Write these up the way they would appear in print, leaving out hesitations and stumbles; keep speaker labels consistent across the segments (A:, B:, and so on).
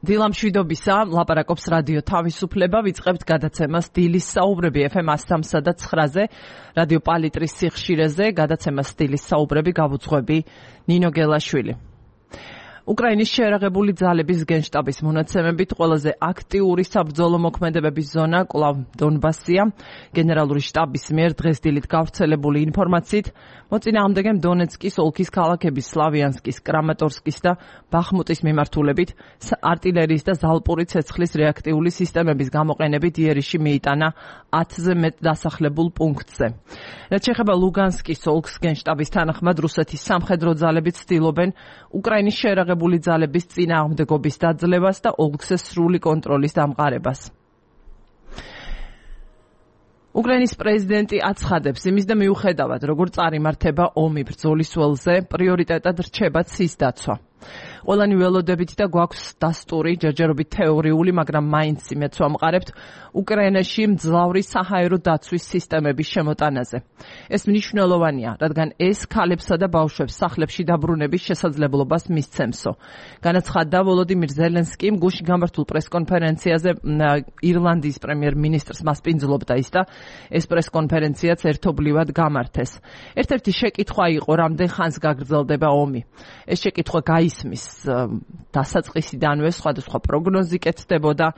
A: დილამშვიდობისა, ლაპარაკობს რადიო თავისუფლება, ვიწყებთ გადაცემას დილის საუბრები FM 103 და 9-ზე, რადიო პალიტრის სიხშირეზე, გადაცემას დილის საუბრები გავუძღვები ნინო გელაშვილი. უკრაინის შეერაღებული ძალების გენშტაბის მონაცემებით ყველაზე აქტიური საბრძოლო მოქმედებების ზონა კვლავ დონბასია. გენერალური შტაბის მიერ დღეს დილით გავრცელებული ინფორმაციით მოწინააღმდეგემ დონეცკის ოლქის ქალაქების სლავიანსკის, კრამატორსკის და ბახმუტის მიმართულებით არტილერიის და ზალპური ცეცხლის რეაქტიული სისტემების გამოყენებით იერიში მიიტანა 10-ზე მეტ დასახლებულ პუნქტზე. რაც შეეხება ლუგანსკის ოლქს, გენშტაბის თანახმად რუსეთის სამხედრო ძალები ცდილობენ უკრაინის შეერაღებული ძალების წინააღმდეგობის დაძლევას და ოლქზე სრული კონტროლის დამყარებას. უკრაინის პრეზიდენტი აცხადებს იმის და მიუხედავად, როგორ წარიმართება ომი ბრძოლის ველზე, პრიორიტეტად რჩება ცის დაცვა. ყველანი ველოდებით და გვაქვს დასტური, ჯერჯერობით თეორიული, მაგრამ მაინც იმედს ვამყარებთ უკრაინაში მძლავრი საჰაერო დაცვის სისტემების შემოტანაზე. ეს მნიშვნელოვანია, რადგან ეს ქალებსა და ბავშვებს სახლებში დაბრუნების შესაძლებლობას მისცემსო. განაცხადა ვოლოდიმირ ზელენსკიმ გუშინ გამართულ პრესკონფერენციაზე ირლანდიის პრემიერ-მინისტრს მასპინძლობდა ის და ეს პრესკონფერენციაც ერთობლივად გამართეს. ერთ-ერთი შეკითხვა იყო, რამდენ ხანს გაგრძელდება ომი. ეს შეკითხვა გაისმის დასაწყისიდანვე სხვადასხვა პროგნოზი კეთდებოდა,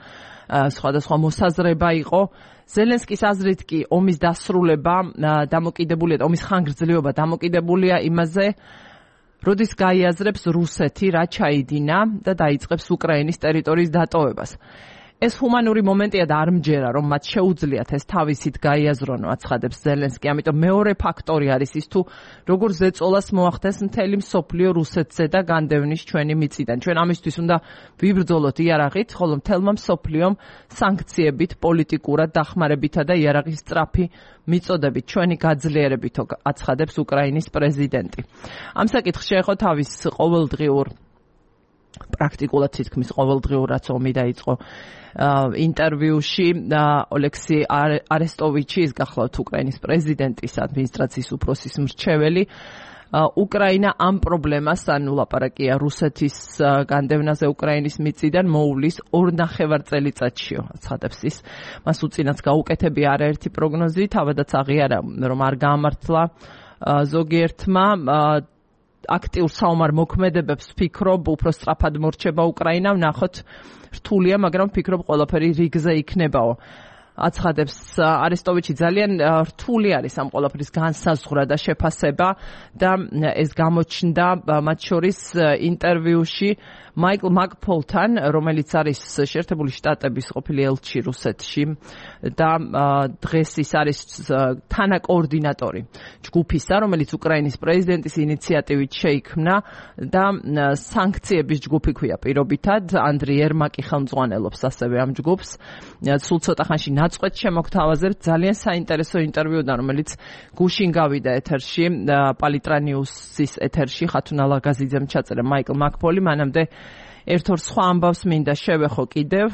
A: სხვადასხვა მოსაზრება იყო. ზელენსკის აზრით კი ომის დასრულება დამოკიდებულია, ომის ხანგრძლივობა დამოკიდებულია იმაზე, როდის გაიაზრებს რუსეთი რა ჩაიდინა და დაიწყებს უკრაინის ტერიტორიის დატოვებას. ეს ჰუმანური მომენტია და არ მჯერა, რომ მათ შეუძლიათ ეს თავისით გაიაზრონო, აცხადებს ზელენსკი. ამიტომ მეორე ფაქტორი არის ის თუ როგორ ზეწოლას მოახდენს მთელი მსოფლიო რუსეთზე და განდევნის ჩვენი მიწიდან. ჩვენ ამისთვის უნდა ვიბრძოლოთ იარაღით, ხოლო მთელმა მსოფლიომ სანქციებით, პოლიტიკურად დახმარებითა და იარაღის სწრაფი მიწოდებით ჩვენი გაძლიერებითო, აცხადებს უკრაინის პრეზიდენტი. ამ საკითხს შეეხო თავის ყოველდღიურ პრაქტიკულად თითქმის ყოველდღიურ რაც ომი დაიწყო ინტერვიუში ოლექსი არესტოვიჩი, ის გახლავთ უკრაინის პრეზიდენტის ადმინისტრაციის უფროსის მრჩეველი. უკრაინა ამ პრობლემას, ანუ ლაპარაკია რუსეთის განდევნაზე უკრაინის მიწიდან, მოუვლის 2.5 წელიწადშიო, აცხადებს ის. მას უწინაც გაუკეთებია არაერთი პროგნოზი, თავადაც აღიარა, რომ არ გაამართლა ზოგიერთმა აქტიურ საომარ მოქმედებებს ფიქრობ, უფრო სწრაფად მორჩება უკრაინა, ვნახოთ რთულია, მაგრამ ფიქრობ ყველაფერი რიგზე იქნებაო. აცხადებს არესტოვიჩი, ძალიან რთული არის ამ ყველაფრის განსაზღვრა და შეფასება და ეს გამოჩნდა მათ შორის ინტერვიუში მაიკლ მაკფოლთან, რომელიც არის შეერთებული შტატების ყოფილი ელჩი რუსეთში და დღეს ის არის თანაკოორდინატორი ჯგუფისა, რომელიც უკრაინის პრეზიდენტის ინიციატივით შეიქმნა და სანქციების ჯგუფი ქვია პირობითად. ანდრი ერმაკი ხელმძღვანელობს ასევე ამ ჯგუფს. სულ ცოტა ხანში ნაწყვეტ შემოგთავაზებთ ძალიან საინტერესო ინტერვიუდან, რომელიც გუშინ გავიდა ეთერში, პალიტრა ნიუსის ეთერში, ხათუნა ლაგაზიძემ ჩაწერა მაიკლ მაკფოლი. მანამდე ერთ-ორ სხვა ამბავს მინდა შევეხო კიდევ.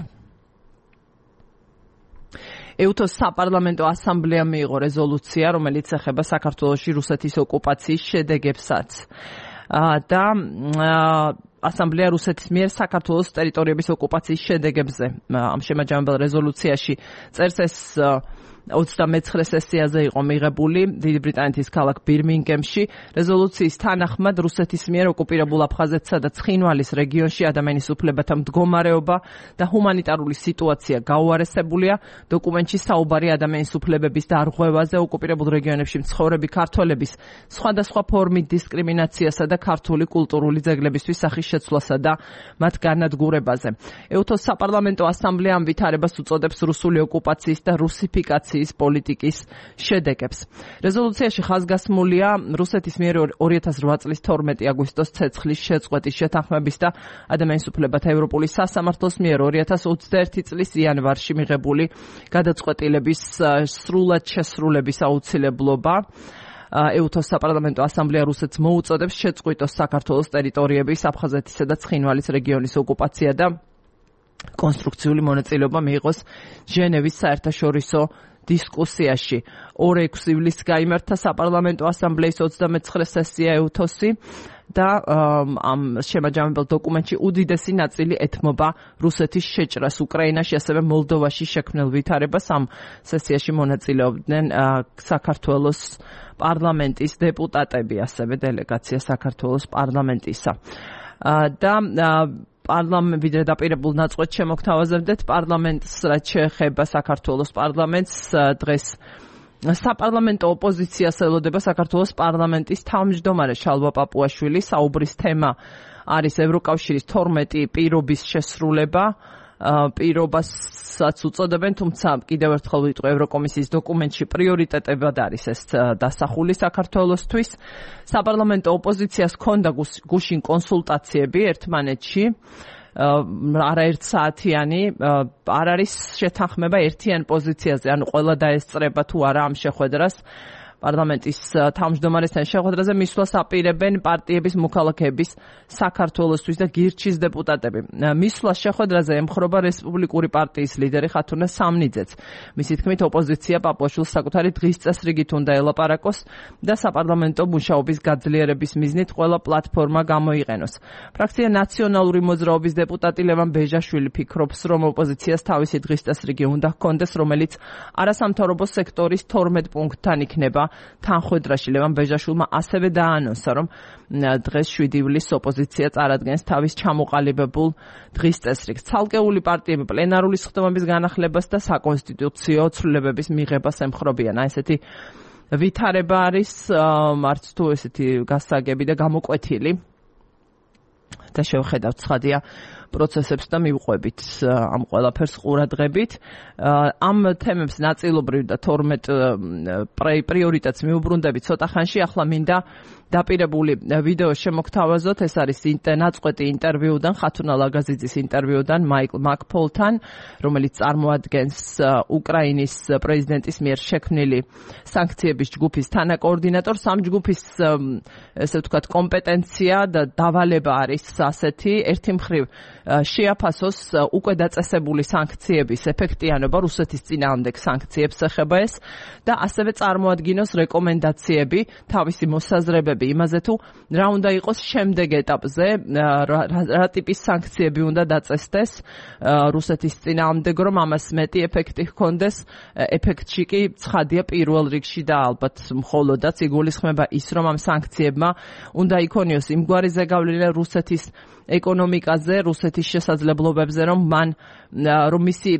A: ეუთოს საპარლამენტო ასამბლეამ მიიღო რეზოლუცია, რომელიც ეხება საქართველოში რუსეთის ოკუპაციის შედეგებსაც. და ასამბლეა რუსეთის მიერ საქართველოს ტერიტორიების ოკუპაციის შედეგებზე ამ შემაჯამებელ რეზოლუციაში წერს. ეს 29 სესიაზე იყო მიღებული დიდი ბრიტანეთის ქალაქ ბირმინგემში. რეზოლუციის თანახმად რუსეთის მიერ ოკუპირებულ აფხაზეთსა და ცხინვალის რეგიონში ადამიანის უფლებათა მდგომარეობა და ჰუმანიტარული სიტუაცია გაუარესებულია. დოკუმენტში საუბარი ადამიანის უფლებების დარღვევაზე, ოკუპირებულ რეგიონებში მცხოვრები ქართველების სხვადასხვა ფორმით დისკრიმინაციასა და ქართული კულტურული ძეგლებისთვის სახის შეცვლასა და მათ განადგურებაზე. ეუთოს საპარლამენტო ასამბლეა ამ ვითარებას უწოდებს რუსული ოკუპაციის და რუსიფიკაციის პოლიტიკის შედეგებს. რეზოლუციაში ხაზგასმულია რუსეთის მიერ 2008 წლის 12 აგვისტოს ცეცხლის შეწყვეტის შეთანხმების და ადამიანის უფლებათა ევროპული სასამართლოს მიერ 2021 წლის იანვარში მიღებული გადაწყვეტილების სრულად შესრულების აუცილებლობა. ეუთოს საპარლამენტო ასამბლეა რუსეთს მოუწოდებს შეწყვიტოს საქართველოს ტერიტორიების, აფხაზეთისა და ცხინვალის რეგიონის ოკუპაცია და კონსტრუქციული მონაწილეობა მიიღოს ჟენევის საერთაშორისო დისკუსიაში. 2-6 ივლისს გაიმართა საპარლამენტო ასამბლეის 29 სესია ეუთოსი და ამ შემაჯამებელ დოკუმენტში უდიდესი ნაწილი ეთმობა რუსეთის შეჭრას უკრაინაში, ასევე მოლდოვაში შექმნილ ვითარებას. ამ სესიაში მონაწილეობდნენ საქართველოს პარლამენტის დეპუტატები, ასევე დელეგაცია საქართველოს პარლამენტისა. და ვიდრე დაპირებულ ნაწყვეტს შემოგთავაზებდეთ პარლამენტს, რაც შეეხება საქართველოს პარლამენტს, დღეს საპარლამენტო ოპოზიციას ელოდება საქართველოს პარლამენტის თავმჯდომარე შალვა პაპუაშვილი. საუბრის თემა არის ევროკავშირის 12 პირობის შესრულება. პირობასაც უწოდებენ, თუმცა კიდევ ერთხელ ვიტყვი, ევროკომისიის დოკუმენტში პრიორიტეტებად არის ეს დასახული საქართველოსთვის. საპარლამენტო ოპოზიციას ჰქონდა გუშინ კონსულტაციები ერთმანეთში, არაერთ საათიანი, არ არის შეთანხმება ერთიან პოზიციაზე, ანუ ყველა დაესწრება თუ არა ამ შეხვედრას. პარლამენტის თავმჯდომარესთან შეხვედრაზე მისვლას აპირებენ პარტიების მოქალაქეების საქართველოსთვის და გირჩის დეპუტატები. მისვლას შეხვედრაზე ემხრობა რესპუბლიკური პარტიის ლიდერი ხათუნა სამნიძეც. მისი თქმით, ოპოზიცია პაპუაშვილს საკუთარი დღის წესრიგით უნდა ელაპარაკოს და საპარლამენტო მუშაობის გაძლიერების მიზნით ყველა პლატფორმა გამოიყენოს. ფრაქცია ნაციონალური მოძრაობის დეპუტატი ლევან ბეჟაშვილი ფიქრობს, რომ ოპოზიციას თავისი დღის წესრიგი უნდა ჰქონდეს, რომელიც არასამთავრობო სექტორის 12 პუნქტთან იქნება თანხვედრაში. ლევან ბეჟაშვილმა ასევე დაანონსა, რომ დღეს 7 ივლისს ოპოზიცია წარადგენს თავის ჩამოყალიბებულ დღის წესრიგს. ცალკეული პარტიები პლენარული სხდომების განახლებას და საკონსტიტუციო ცვლილებების მიღებას ემხრობიან. ესეთი ვითარება არის, არც თუ ესეთი გასაგები და გამოკვეთილი და შევხედავთ ცხადია პროცესებს და მივყვებით ამ ყველაფერს ყურადღებით. ამ თემებს ნაწილობრივ და 12 პრიორიტეტს მიუბრუნდებით ცოტა ხანში. ახლა მინდა დაპირებული ვიდეო შემოგთავაზოთ. ეს არის ნაწყვეტი ინტერვიუდან, ხათუნა ლაგაზიძის ინტერვიუდან მაიკლ მაკფოლთან, რომელიც წარმოადგენს უკრაინის პრეზიდენტის მიერ შექმნილი სანქციების ჯგუფის თანაკოორდინატორს. ამ ჯგუფის ესე ვთქვათ კომპეტენცია და დავალება არის ასეთი: ერთი მხრივ შეაფასოს უკვე დაწესებული სანქციების ეფექტიანობა, რუსეთის წინააღმდეგ სანქციებს ეხება ეს, და ასევე წარმოადგინოს რეკომენდაციები, თავისი მოსაზრებები იმაზე თუ რა უნდა იყოს შემდეგ ეტაპზე, რა ტიპის სანქციები უნდა დაწესდეს რუსეთის წინააღმდეგ, რომ ამას მეტი ეფექტი ჰქონდეს. ეფექტში კი ცხადია პირველ რიგში და ალბათ მხოლოდაც იგულისხმება ის, რომ ამ სანქციებმა უნდა იქონიოს იმგვარი ზეგავლენა რუსეთის ეკონომიკაზე, რუსეთის შესაძლებლობებზე, რომ მისი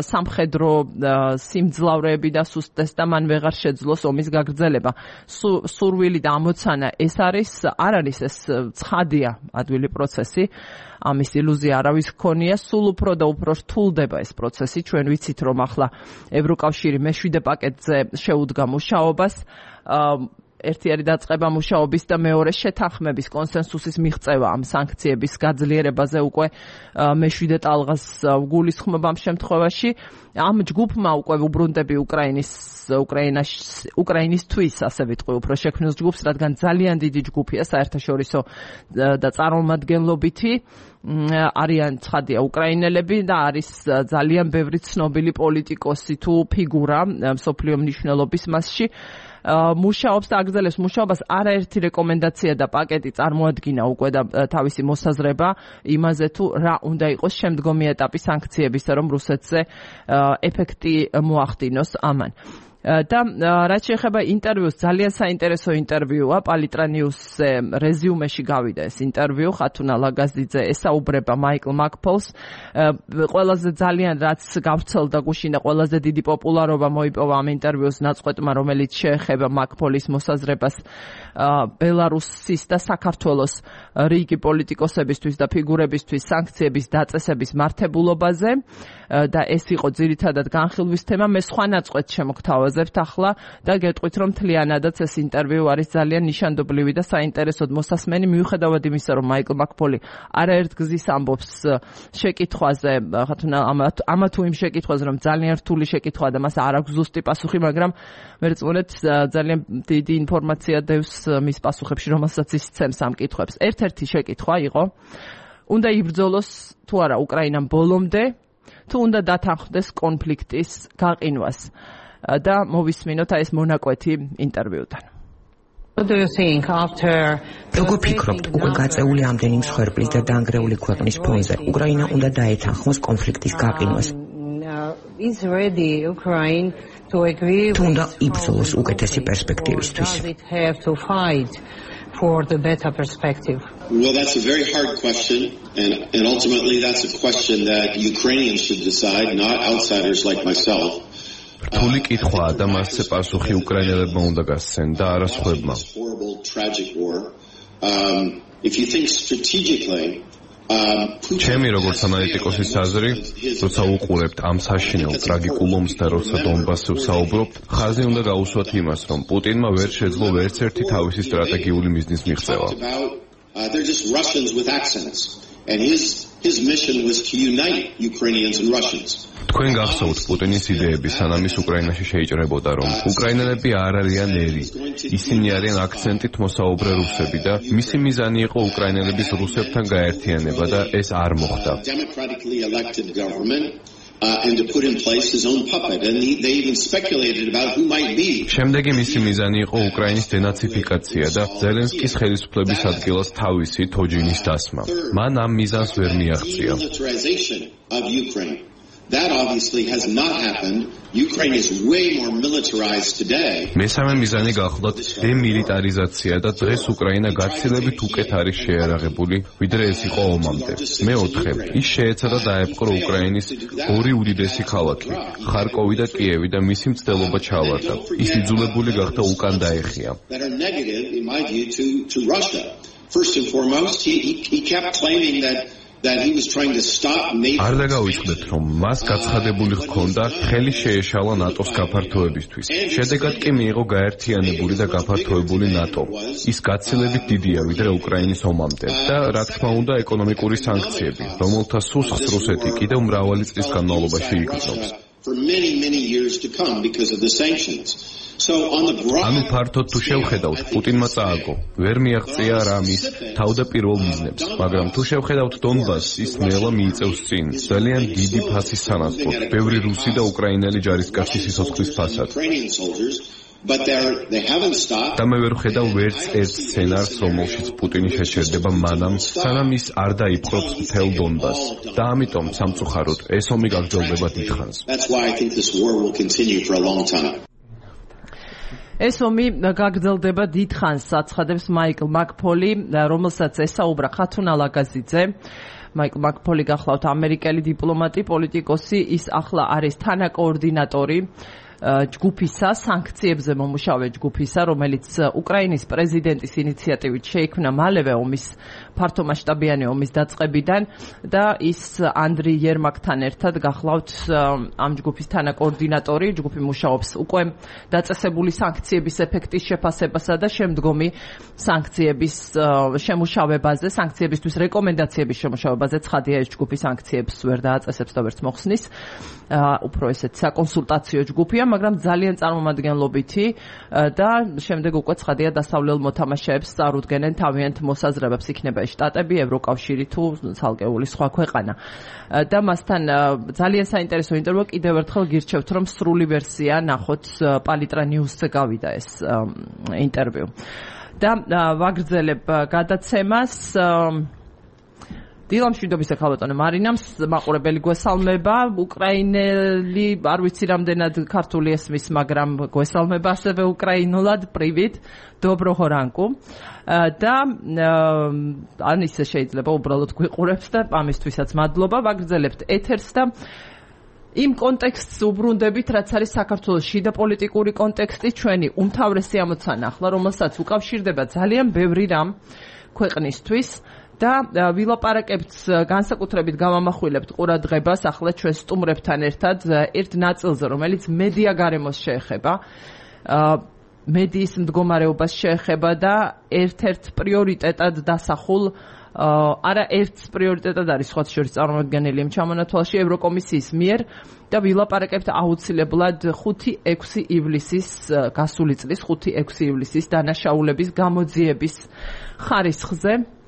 A: სამხედრო სიმძლავრეები დასუსტდეს და მან ვეღარ შეძლოს ომის გაგრძელება. სურვილი და ამოცანა ეს არ არის ეს ცხადია ადვილი პროცესი. ამის ილუზია არავის ჰქონია, სულ უფრო და უფრო რთულდება ეს პროცესი. ჩვენ ვიცით, რომ ახლა ევროკავშირი მე-7 პაკეტზე შეუდგა მუშაობას. ერთი არის დაწყება მუშაობის და მეორე შეთანხმების კონსენსუსის მიღწევა ამ სანქციების გაძლიერებაზე უკვე მე-7 ტალღას გულისხმობა ამ შემთხვევაში. ამ ჯგუფმა უკვე უბრუნდები უკრაინისთვის, ასე ვიტყვი, უფრო შექმნილ ჯგუფს, რადგან ძალიან დიდი ჯგუფია საერთაშორისო და წარმომადგენლობითი. არიან ცხადია უკრაინელები და არის ძალიან ბევრი ცნობილი პოლიტიკოსი თუ ფიგურა მსოფლიო მნიშვნელობის მასში. მუშაობს და აგრძელებს მუშაობას. არაერთი რეკომენდაცია და პაკეტი წარმოადგინა უკვე და თავისი მოსაზრება იმაზე თუ რა უნდა იყოს შემდგომი ეტაპი სანქციებისა, რომ რუსეთზე ეფექტი მოახდინოს ამან. და რაც შეეხება ინტერვიუს, ძალიან საინტერესო ინტერვიუა. პალიტრა ნიუსზე რეზიუმეში გავიდა ეს ინტერვიუ. ხათუნა ლაგაზიძე ესაუბრება მაიკლ მაკფოლს. ყველაზე ძალიან რაც გავრცელდა გუშინ და ყველაზე დიდი პოპულარობა მოიპოვა ამ ინტერვიუს ნაწყვეტმა, რომელიც შეეხება მაკფოლის მოსაზრებას ბელარუსის და საქართველოს რიგი პოლიტიკოსებისთვის და ფიგურებისთვის სანქციების დაწესების მართებულობაზე და ეს იყო ძირითადად განხილვის თემა. მე სხვა ნაწყვეტს შემოგთავაზებთ ახლა და გეტყვით, რომ მთლიანადაც ეს ინტერვიუ არის ძალიან ნიშანდობლივი და საინტერესოდ მოსასმენი, მიუხედავად იმისა, რომ მაიკლ მაკფოლი არაერთ გზის ამბობს შეკითხვაზე, ხათუნა ამა თუ იმ შეკითხვაზე, რომ ძალიან რთული შეკითხვაა და მას არ აქვს ზუსტი პასუხი, მაგრამ მერწმუნეთ ძალიან დიდი ინფორმაცია დევს მის პასუხებში, რომელსაც ის ცემს ამ კითხვებს. ერთ-ერთი შეკითხვა იყო: უნდა იბრძოლოს თუ არა უკრაინამ ბოლომდე, თუ უნდა დათანხმდეს კონფლიქტის გაყინვას. და მოვისმინოთ ეს მონაკვეთი ინტერვიუდან.
B: როგორ ფიქრობთ, უკვე გაწეული ამდენი მსხვერპლის და დანგრეული ქვეყნის ფონზე, უკრაინა უნდა დაეთანხმოს კონფლიქტის გაყინვას? თუნდა იბრძოლოს უკეთესი პერსპექტივისთვის?
C: Well, that's a very hard question, and ultimately that's a question that Ukrainians should decide, not outsiders like myself.
D: რთული კითხვაა და მასზე პასუხი უკრაინელებმა უნდა გასცენ და არა სხვებმა. ჩემი როგორც ანალიტიკოსის აზრი, როცა უყურებთ ამ საშინელ ტრაგიკულ ომს და როცა დონბასზე ვსაუბრობთ, ხაზი უნდა გაუსვათ იმას, რომ პუტინმა ვერ შეძლო ვერც ერთი თავისი სტრატეგიული მიზნის მიღწევა.
C: They're just Russians with accents, and his mission was to unite Ukrainians and Russians.
D: თქვენ გახსოვთ პუტინის იდეები, სანამ ის უკრაინაში შეიჭრებოდა, რომ უკრაინელები არ არიან ერი. ისინი არიან აქცენტით მოსაუბრე რუსები და მისი მიზანი იყო უკრაინელების რუსებთან გაერთიანება და ეს არ მოხდა.
C: And to put in place his own puppet, and they even speculated about who might be.
D: შემდეგი მისი მიზანი იყო უკრაინის დენაციფიკაცია და ზელენსკის ხელისუფლების ადგილას თავისი თოჯინის დასმა. მან ამ მიზანს ვერ მიაღწია.
C: That obviously has not happened. Ukraine is way more militarized today.
D: მესამე მიზანი გახლდათ დემილიტარიზაცია და დღეს უკრაინა გაცილებით უკეთ არის შეიარაღებული, ვიდრე ეს იყო ომამდე. მეოთხე, ის შეეცადა დაეპყრო უკრაინის ორი უდიდესი ქალაქი, ხარკოვი და კიევი და მისი მცდელობა ჩავარდა. ის იძულებული გახდა უკან დაეხია.
C: First and foremost, he kept claiming that he was trying to stop NATO.
D: არ დაგავიწყდეთ, რომ მას გაცხადებული ჰქონდა ხელი შეეშალა ნატოს გაფართოებისთვის. შედეგად კი მიიღო გაერთიანებული და გაფართოებული ნატო. ის გაცილებით დიდია ვიდრე უკრაინის ომამდე და რა თქმა უნდა ეკონომიკური სანქციები, რომელთა სუსხს რუსეთი კიდევ მრავალი წლის განმავლობაში იგრძნობს.
C: For many years to come because of the sanctions. So on the ground,
D: ანუ ფართოდ თუ შევხედავთ, პუტინმა წააგო, ვერ მიაღწია რამის თავდაპირველ მიზნებს, მაგრამ თუ შევხედავთ დონბასს, ის ნელა მიიწევს წინ, ძალიან დიდი ფასის სანაცვლოდ, ბევრი რუსი და უკრაინელი ჯარისკაცი სიცოცხლის ფასად.
C: But they haven't stopped.
D: და მე ვერ ხედავ ვერც ერთ სცენარს, რომელშიც პუტინი შეჩერდება მანამ, სანამ ის არ დაიპყრობს მთელ დონბასს. და ამიტომ სამწუხაროდ ეს ომი გაგრძელდება დიდხანს.
C: That's why I think this war will continue for a long time.
A: ეს ომი გაგრძელდება დიდხანს, აცხადებს მაიკლ მაკფოლი, რომელსაც ესაუბრა ხათუნ ალაგაზიძე. მაიკლ მაკფოლი გახლავთ ამერიკელი დიპლომატი, პოლიტიკოსი, ის ახლა არის თანაკოორდინატორი ჯგუფისა, სანქციებზე მომუშავე ჯგუფისა, რომელიც უკრაინის პრეზიდენტის ინიციატივით შეიქმნა მალევე ომის ფართომასშტაბიანი ომის დაწყებიდან და ის ანდრი იერმაკთან ერთად გახლავთ ამ ჯგუფის თანაკოორდინატორი. ჯგუფი მუშაობს უკვე დაწესებული სანქციების ეფექტის შეფასებასა და შემდგომი სანქციების შემუშავებაზე, სანქციებისთვის რეკომენდაციების შემუშავებაზე. ცხადია, ეს ჯგუფი სანქციებს ვერ დააწესებს და ვერც მოხსნის. უფრო ესეთ საკონსულტაციო ჯგუფია, მაგრამ ძალიან წარმომადგენლობითი და შემდეგ უკვე ცხადია დასავლელ მოთამაშეებს წარუდგენენ თავიანთ მოსაზრებებს, იქნება შტატები, ევროკავშირი თუ ცალკეული სხვა ქვეყანა. და მასთან ძალიან საინტერესო ინტერვიუ, კიდევ ერთხელ გირჩევთ, რომ სრული ვერსია ნახოთ პალიტრა ნიუსზე გავიდა ეს ინტერვიუ. და ვაგრძელებ გადაცემას. დილა მშვიდობისა ქალბატონო მარინამს მაყურებელი გვესალმება. უკრაინელი არ ვიცი რამდენად ქართული ესმის, მაგრამ გვესალმება ასევე უკრაინულად. Привет, доброго ранку. და ან ისე შეიძლება უბრალოდ გვიყურებს და ამისთვისაც მადლობა. ვაგრძელებთ ეთერს და იმ კონტექსტს უბრუნდებით, რაც არის საქართველოს შიდა პოლიტიკური კონტექსტი, ჩვენი უმთავრესი ამოცანა ახლა, რომელსაც უკავშირდება ძალიან ბევრი რამ ქვეყნისთვის. და ვილაპარაკებთ, განსაკუთრებით გავამახვილებთ ყურადღებას ახლა ჩვენ სტუმრებთან ერთად ერთ ნაწილზე, რომელიც მედია გარემოს შეეხება, მედიის მდგომარეობას შეეხება და ერთ-ერთ პრიორიტეტად დასახულ, არა ერთ პრიორიტეტად არის სხვათა შორის წარმოადგენელი იმ ჩამონათვალში ევროკომისიის მიერ და ვილაპარაკებთ აუცილებლად 5-6 ივლისის, გასული წლის 5-6 ივლისის დანაშაულების გამოძიების ხარისხზე.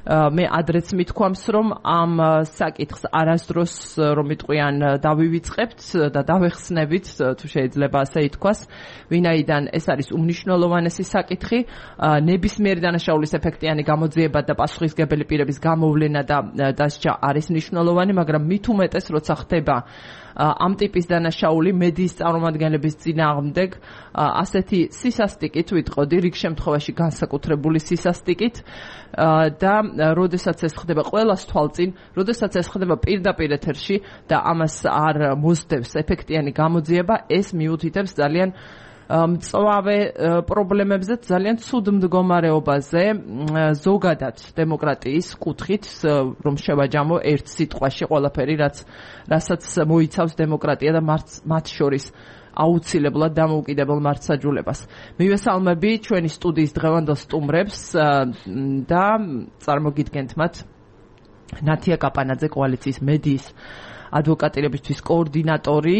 A: მე ადრეც მithქვამს, რომ ამ საკითხს არასდროს რომ იტყვიან დავივიწყებთ და დავეხსნებით, თუ შეიძლება ასე ითქვას, ვინაიდან ეს არის უმნიშვნელოვანესი საკითხი, ნებისმიერი დანაშაულის ეფექტიანი გამოძიება და პასუხისმგებელი პირების გამოვლენა და დასჯა არის მნიშვნელოვანი, მაგრამ მით უმეტეს როცა ხდება ამ ტიპის დანაშაული მედიის წარმომადგენლების წინააღმდეგ ასეთი სისასტიკით ვიტყოდი, რიგ შემთხვევაში განსაკუთრებული სისასტიკით და როდესაც ეს ხდება ყველას თვალწინ, როდესაც ეს ხდება პირდაპირ ეთერში და ამას არ მოსდევს ეფექტიანი გამოძიება, ეს მიუთითებს ძალიან მწვავე პრობლემებზე, ძალიან ცუდ მდგომარეობაზე ზოგადად დემოკრატიის კუთხით, რომ შევაჯამო ერთ სიტყვაში ყველაფერი, რასაც მოიცავს დემოკრატია და მათ შორის აუცილებლად დამოუკიდებელ მართლმსაჯულებას. მივესალმები ჩვენი სტუდიის დღევანდელ სტუმრებს და წარმოგიდგენთ მათ ნათია კაპანაძე, კოალიციის მედიის ადვოკატირებისთვის კოორდინატორი,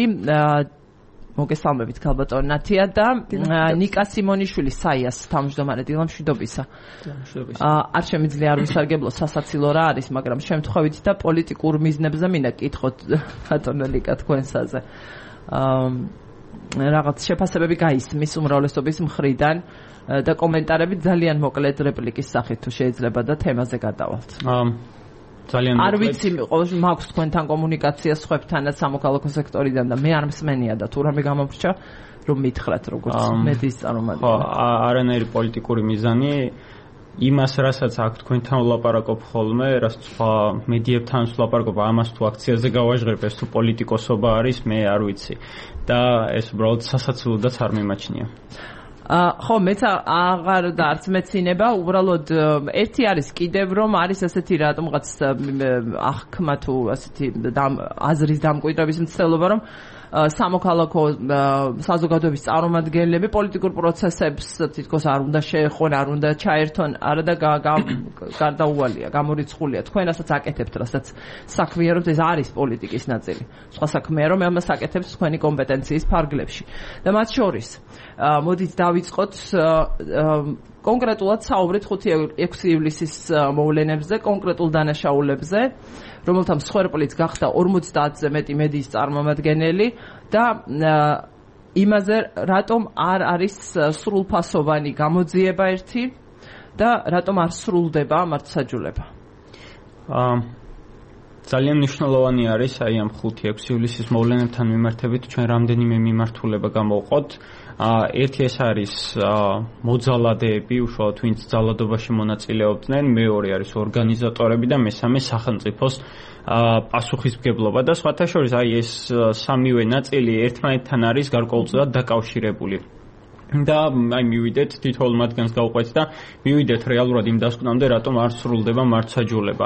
A: მოგესალმებით ქალბატონ ნათია და ნიკა სიმონიშვილი საიას თავმჯდომარე დილამშვიდობისა. არ შემიძლია არ ვისარგებლო სასაცილო რა არის, მაგრამ შემთხვევით და პოლიტიკურ მიზნებზე მინდა კითხოთ ბატონო ნიკა თქვენსაზე. რაღაც შეფასებები გაისმის უმრავლესობის მხრიდან და კომენტარები ძალიან მოკლედ რეპლიკის სახით თუ შეიძლება და თემაზე გადავალთ.
E: ძალიან
A: არ ვიცი, მაქვს თქვენთან კომუნიკაცია სხვებთანაც სამოქალაქო სექტორიდან და მე არ მსმენია და თუ რამე გამოვრჩა რომ მითხრათ როგორც მედიის წარმომადგენელი.
E: ხო, არანაირი პოლიტიკური მიზანი იმას, რასაც აქ თქვენთან ვლაპარაკობ ხოლმე, რაც სხვა მედიებთან ვლაპარაკობ, ამას თუ აქციაზე გავაჟღერებ, ეს თუ პოლიტიკოსობა არის, მე არ ვიცი. და ეს უბრალოდ სასაცილოდაც არ მიმაჩნია.
A: ხო, მეც აღარ და არც მეცინება, უბრალოდ ერთი არის კიდევ რომ არის ასეთი რატომღაც აღქმა თუ ასეთი აზრის დამკვიდრების მცდელობა, რომ სამოქალაქო საზოგადოების წარმომადგენლები პოლიტიკურ პროცესებს თითქოს არ უნდა შეეხონ, არ უნდა ჩაერთონ, არა და გარდაუვალია, გამორიცხულია. თქვენ რასაც აკეთებთ, რასაც საქმიანობთ, ეს არის პოლიტიკის ნაწილი. სხვა საქმეა, რომ ამას აკეთებს თქვენი კომპეტენციის ფარგლებში. და მათ შორის მოდით დავიწყოთ კონკრეტულად საუბრით 5-6 ივლისის მოვლენებზე, კონკრეტულ დანაშაულებზე, რომელთა მსხვერპლიც გახდა 50-ზე მეტი მედიის წარმომადგენელი და იმაზე, რატომ არ არის სრულფასოვანი გამოძიება ერთი და რატომ არ სრულდება მართლმსაჯულება.
E: ძალიან მნიშვნელოვანი არის აი ამ 5-6 ივლისის მოვლენებთან მიმართებით ჩვენ რამდენიმე მიმართულება გამოვყოთ. ერთი ეს არის მოძალადეები, უშუალოდ ვინც ძალადობაში მონაწილეობდნენ, მეორე არის ორგანიზატორები და მესამე სახელმწიფოს პასუხისმგებლობა და სხვათა შორის აი ეს სამივე ნაწილი ერთმანეთთან არის გარკვეულწილად დაკავშირებული. და აი მივიდეთ თითოეულ მათგანს გავყვეთ და მივიდეთ რეალურად იმ დასკვნამდე, რატომ არ სრულდება მართლმსაჯულება.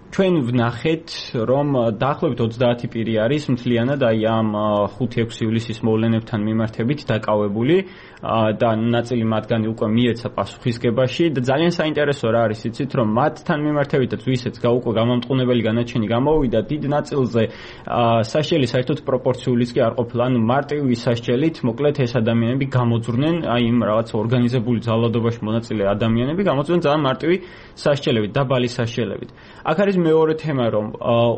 E: ჩვენ ვნახეთ, რომ დაახლოებით 30 პირი არის მთლიანად აი ამ 5-6 ივლისის მოვლენებთან მიმართებით დაკავებული და ნაწილი მათგანი უკვე მიეცა პასუხისგებაში და ძალიან საინტერესო რა არის იცით, რომ მათთან მიმართებითაც ვისაც უკვე გამამტყუნებელი განაჩენი გამოვიდა, დიდ ნაწილზე სასჯელი საერთოდ პროპორციულიც კი არ ყოფილა, ანუ მარტივი სასჯელით მოკლედ ეს ადამიანები გამოძვრნენ, აი იმ რაღაც ორგანიზებული ძალადობაში მონაწილე ადამიანები გამოძვრნენ ძალიან მარტივი სასჯელებით, დაბალი სასჯელებით. აქ არის მეორე თემა, რომ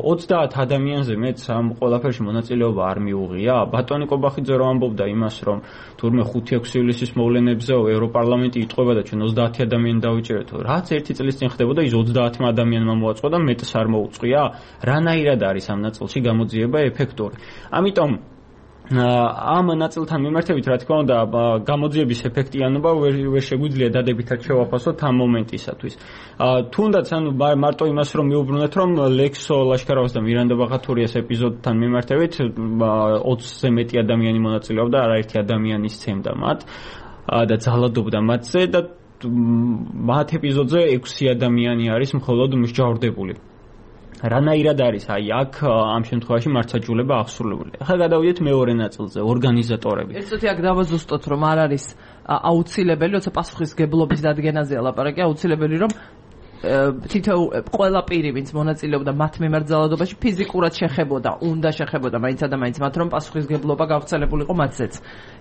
E: 30 ადამიანზე მეც ამ ყველაფერში მონაწილეობა არ მიუღია. ბატონი კობახიძე რომ ამბობდა იმას, რომ თურმე 5-6 ივლისის მოვლენებზე ევროპარლამენტი იტყვება და ჩვენ 30 ადამიანი დავიჭერეთ. რაც ერთი წლის წინ ხდებოდა, ის 30 ადამიანმა მოაწყო და მეტს არ მოუწყია. რანაირად არის ამ ნაწილში გამოძიება ეფექტური. ამიტომ ამ ნაწილთან მიმართებით, რა თქმა უნდა, გამოძიების ეფექტიანობა ვერ შეგვიძლია დადებითად შევაფასოთ ამ მომენტისათვის. თუნდაც ანუ მარტო იმას რომ მიუბრუნეთ, რომ ლექსო ლაშქარავას და მირანდა ბაღათურიას ეპიზოდთან მიმართებით 20-ზე მეტი ადამიანი მონაწილეობდა, არაერთი ადამიანი სცემდა მათ და ძალადობდა მათზე და მათ ეპიზოდზე 6 ადამიანი არის მხოლოდ მსჯავრდებული. რანაირად არის აი აქ ამ შემთხვევაში მართლმსაჯულება აღსრულებული. ახლა გადავიდეთ მეორე ნაწილზე, ორგანიზატორები.
A: ერთოთი აქ დავაზუსტოთ, რომ არ არის აუცილებელი, როცა პასუხისმგებლობის დადგენაზეა ლაპარაკი, აუცილებელი რომ თითოეულ ყველა პირი, ვინც მონაწილეობდა მათ მიმართ ძალადობაში, ფიზიკურად შეხებოდა, უნდა შეხებოდა მაინც და მაინც მათ, რომ პასუხისგებლობა გავრცელებულიყო მათზეც.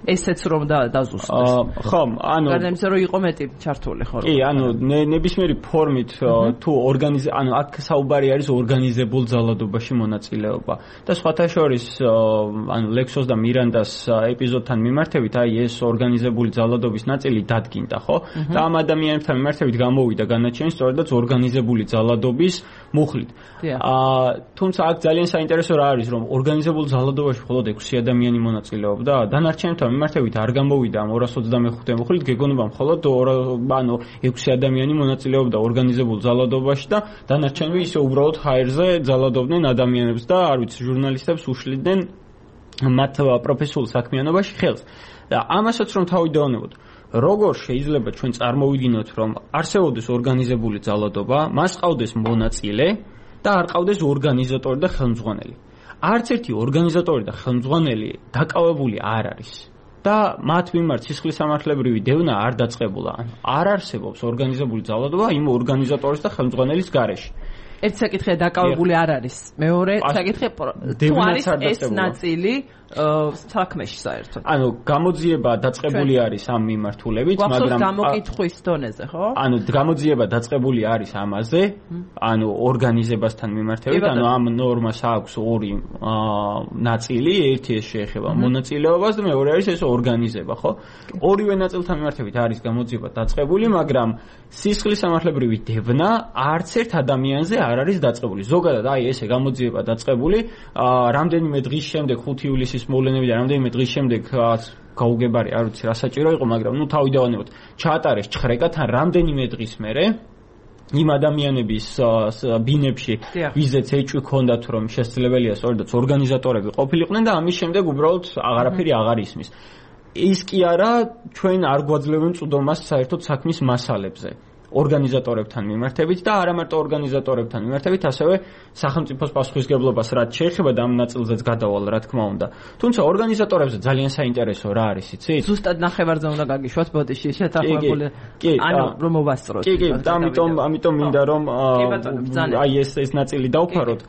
A: ესეც რომ დაზუსტდეს.
E: ხო, ანუ
A: გარდა იმისა, რომ იყო მეტი ჩართული, ხო?
E: კი, ანუ ნებისმიერი ფორმით თუ ანუ აქ საუბარი არის ორგანიზებულ ძალადობაში მონაწილეობა. და სხვათა შორის, ანუ ლექსოს და მირანდას ეპიზოდთან მიმართებით, აი ეს ორგანიზებული ძალადობის ნაწილი დადგინდა, ხო? და ამ ადამიანებთან მიმართებით გამოვიდა განაჩენი სწორედაც ორგანიზებული ძალადობის მუხლით. თუმცა აქ ძალიან საინტერესო რა არის, რომ ორგანიზებულ ძალადობაში მხოლოდ 6 ადამიანი მონაწილეობდა, დანარჩენთან მიმართებით არ გამოვიდა ამ 225 მუხლით, გეგონება მხოლოდ 6 ადამიანი მონაწილეობდა ორგანიზებულ ძალადობაში და დანარჩენები ისე უბრალოდ ჰაერზე ძალადობდნენ ადამიანებს და არ ვიცი, ჟურნალისტებს უშლიდნენ მათ პროფესიულ საქმიანობაში ხელს. და ამასაც რომ თავი დავანებოთ, როგორ შეიძლება ჩვენ წარმოვიდგინოთ, რომ არსებობდეს ორგანიზებული ძალადობა, მას ყავდეს მონაწილე და არ ყავდეს ორგანიზატორი და ხელმძღვანელი. არც ერთი ორგანიზატორი და ხელმძღვანელი დაკავებული არ არის. და მათ მიმართ სისხლისამართლებრივი დევნა არ დაწყებულა. არ არსებობს ორგანიზებული ძალადობა იმ ორგანიზატორის და ხელმძღვანელის გარეშე.
A: ერთ საკითხია დაკავებული არ არის. მეორე საკითხი თუ არის ეს ნაწილი საქმეში საერთოდ.
E: ანუ გამოძიება დაწყებული არის ამ მიმართულებით, მაგრამ
A: გამოკითხვის დონეზე, ხო?
E: ანუ გამოძიება დაწყებული არის ამაზე, ანუ ორგანიზებასთან მიმართებით, ანუ ამ ნორმას აქვს ორი ნაწილი, ერთი ეს შეეხება მონაწილეობას და მეორე არის ეს ორგანიზება, ხო? ორივე ნაწილთან მიმართებით არის გამოძიება დაწყებული, მაგრამ სისხლისამართლებრივი დევნა არც ერთ ადამიანზე არ არის დაწყებული. ზოგადად აი ესე გამოძიება დაწყებული, რამდენიმე დღის შემდეგ 5 ივლისის მოვლენებიდან რამდენიმე დღის შემდეგ გაუგებარი არ ვიცი რა საჭირო იყო, მაგრამ ნუ თავი დავანებოთ, ჩაატარეს ჩხრეკა თან რამდენიმე დღის მერე იმ ადამიანების ბინებში, ვიზეც ეჭვი ჰქონდათ, რომ შესაძლებელია სწორედაც ორგანიზატორები ყოფილიყვნენ და ამის შემდეგ უბრალოდ აღარაფერი აღარ ისმის. ის კი არა, ჩვენ არ გვაძლევენ წვდომას საერთოდ საქმის მასალებზე. ორგანიზატორებთან მიმართებით და არა მარტო ორგანიზატორებთან მიმართებით, ასევე სახელმწიფოს პასუხისგებლობას რაც შეეხება და ამ ნაწილზეც გადავალ, რა თქმა უნდა. თუმცა ორგანიზატორებზე ძალიან საინტერესო რა არის, იცით?
A: ზუსტად ნახევარზე უნდა გაგიშვათ ბოდიში შეთანხმებული. ანუ რომ მოვასწროთ.
E: კი, და ამიტომ მინდა რომ აი ეს ნაწილი დავფაროთ.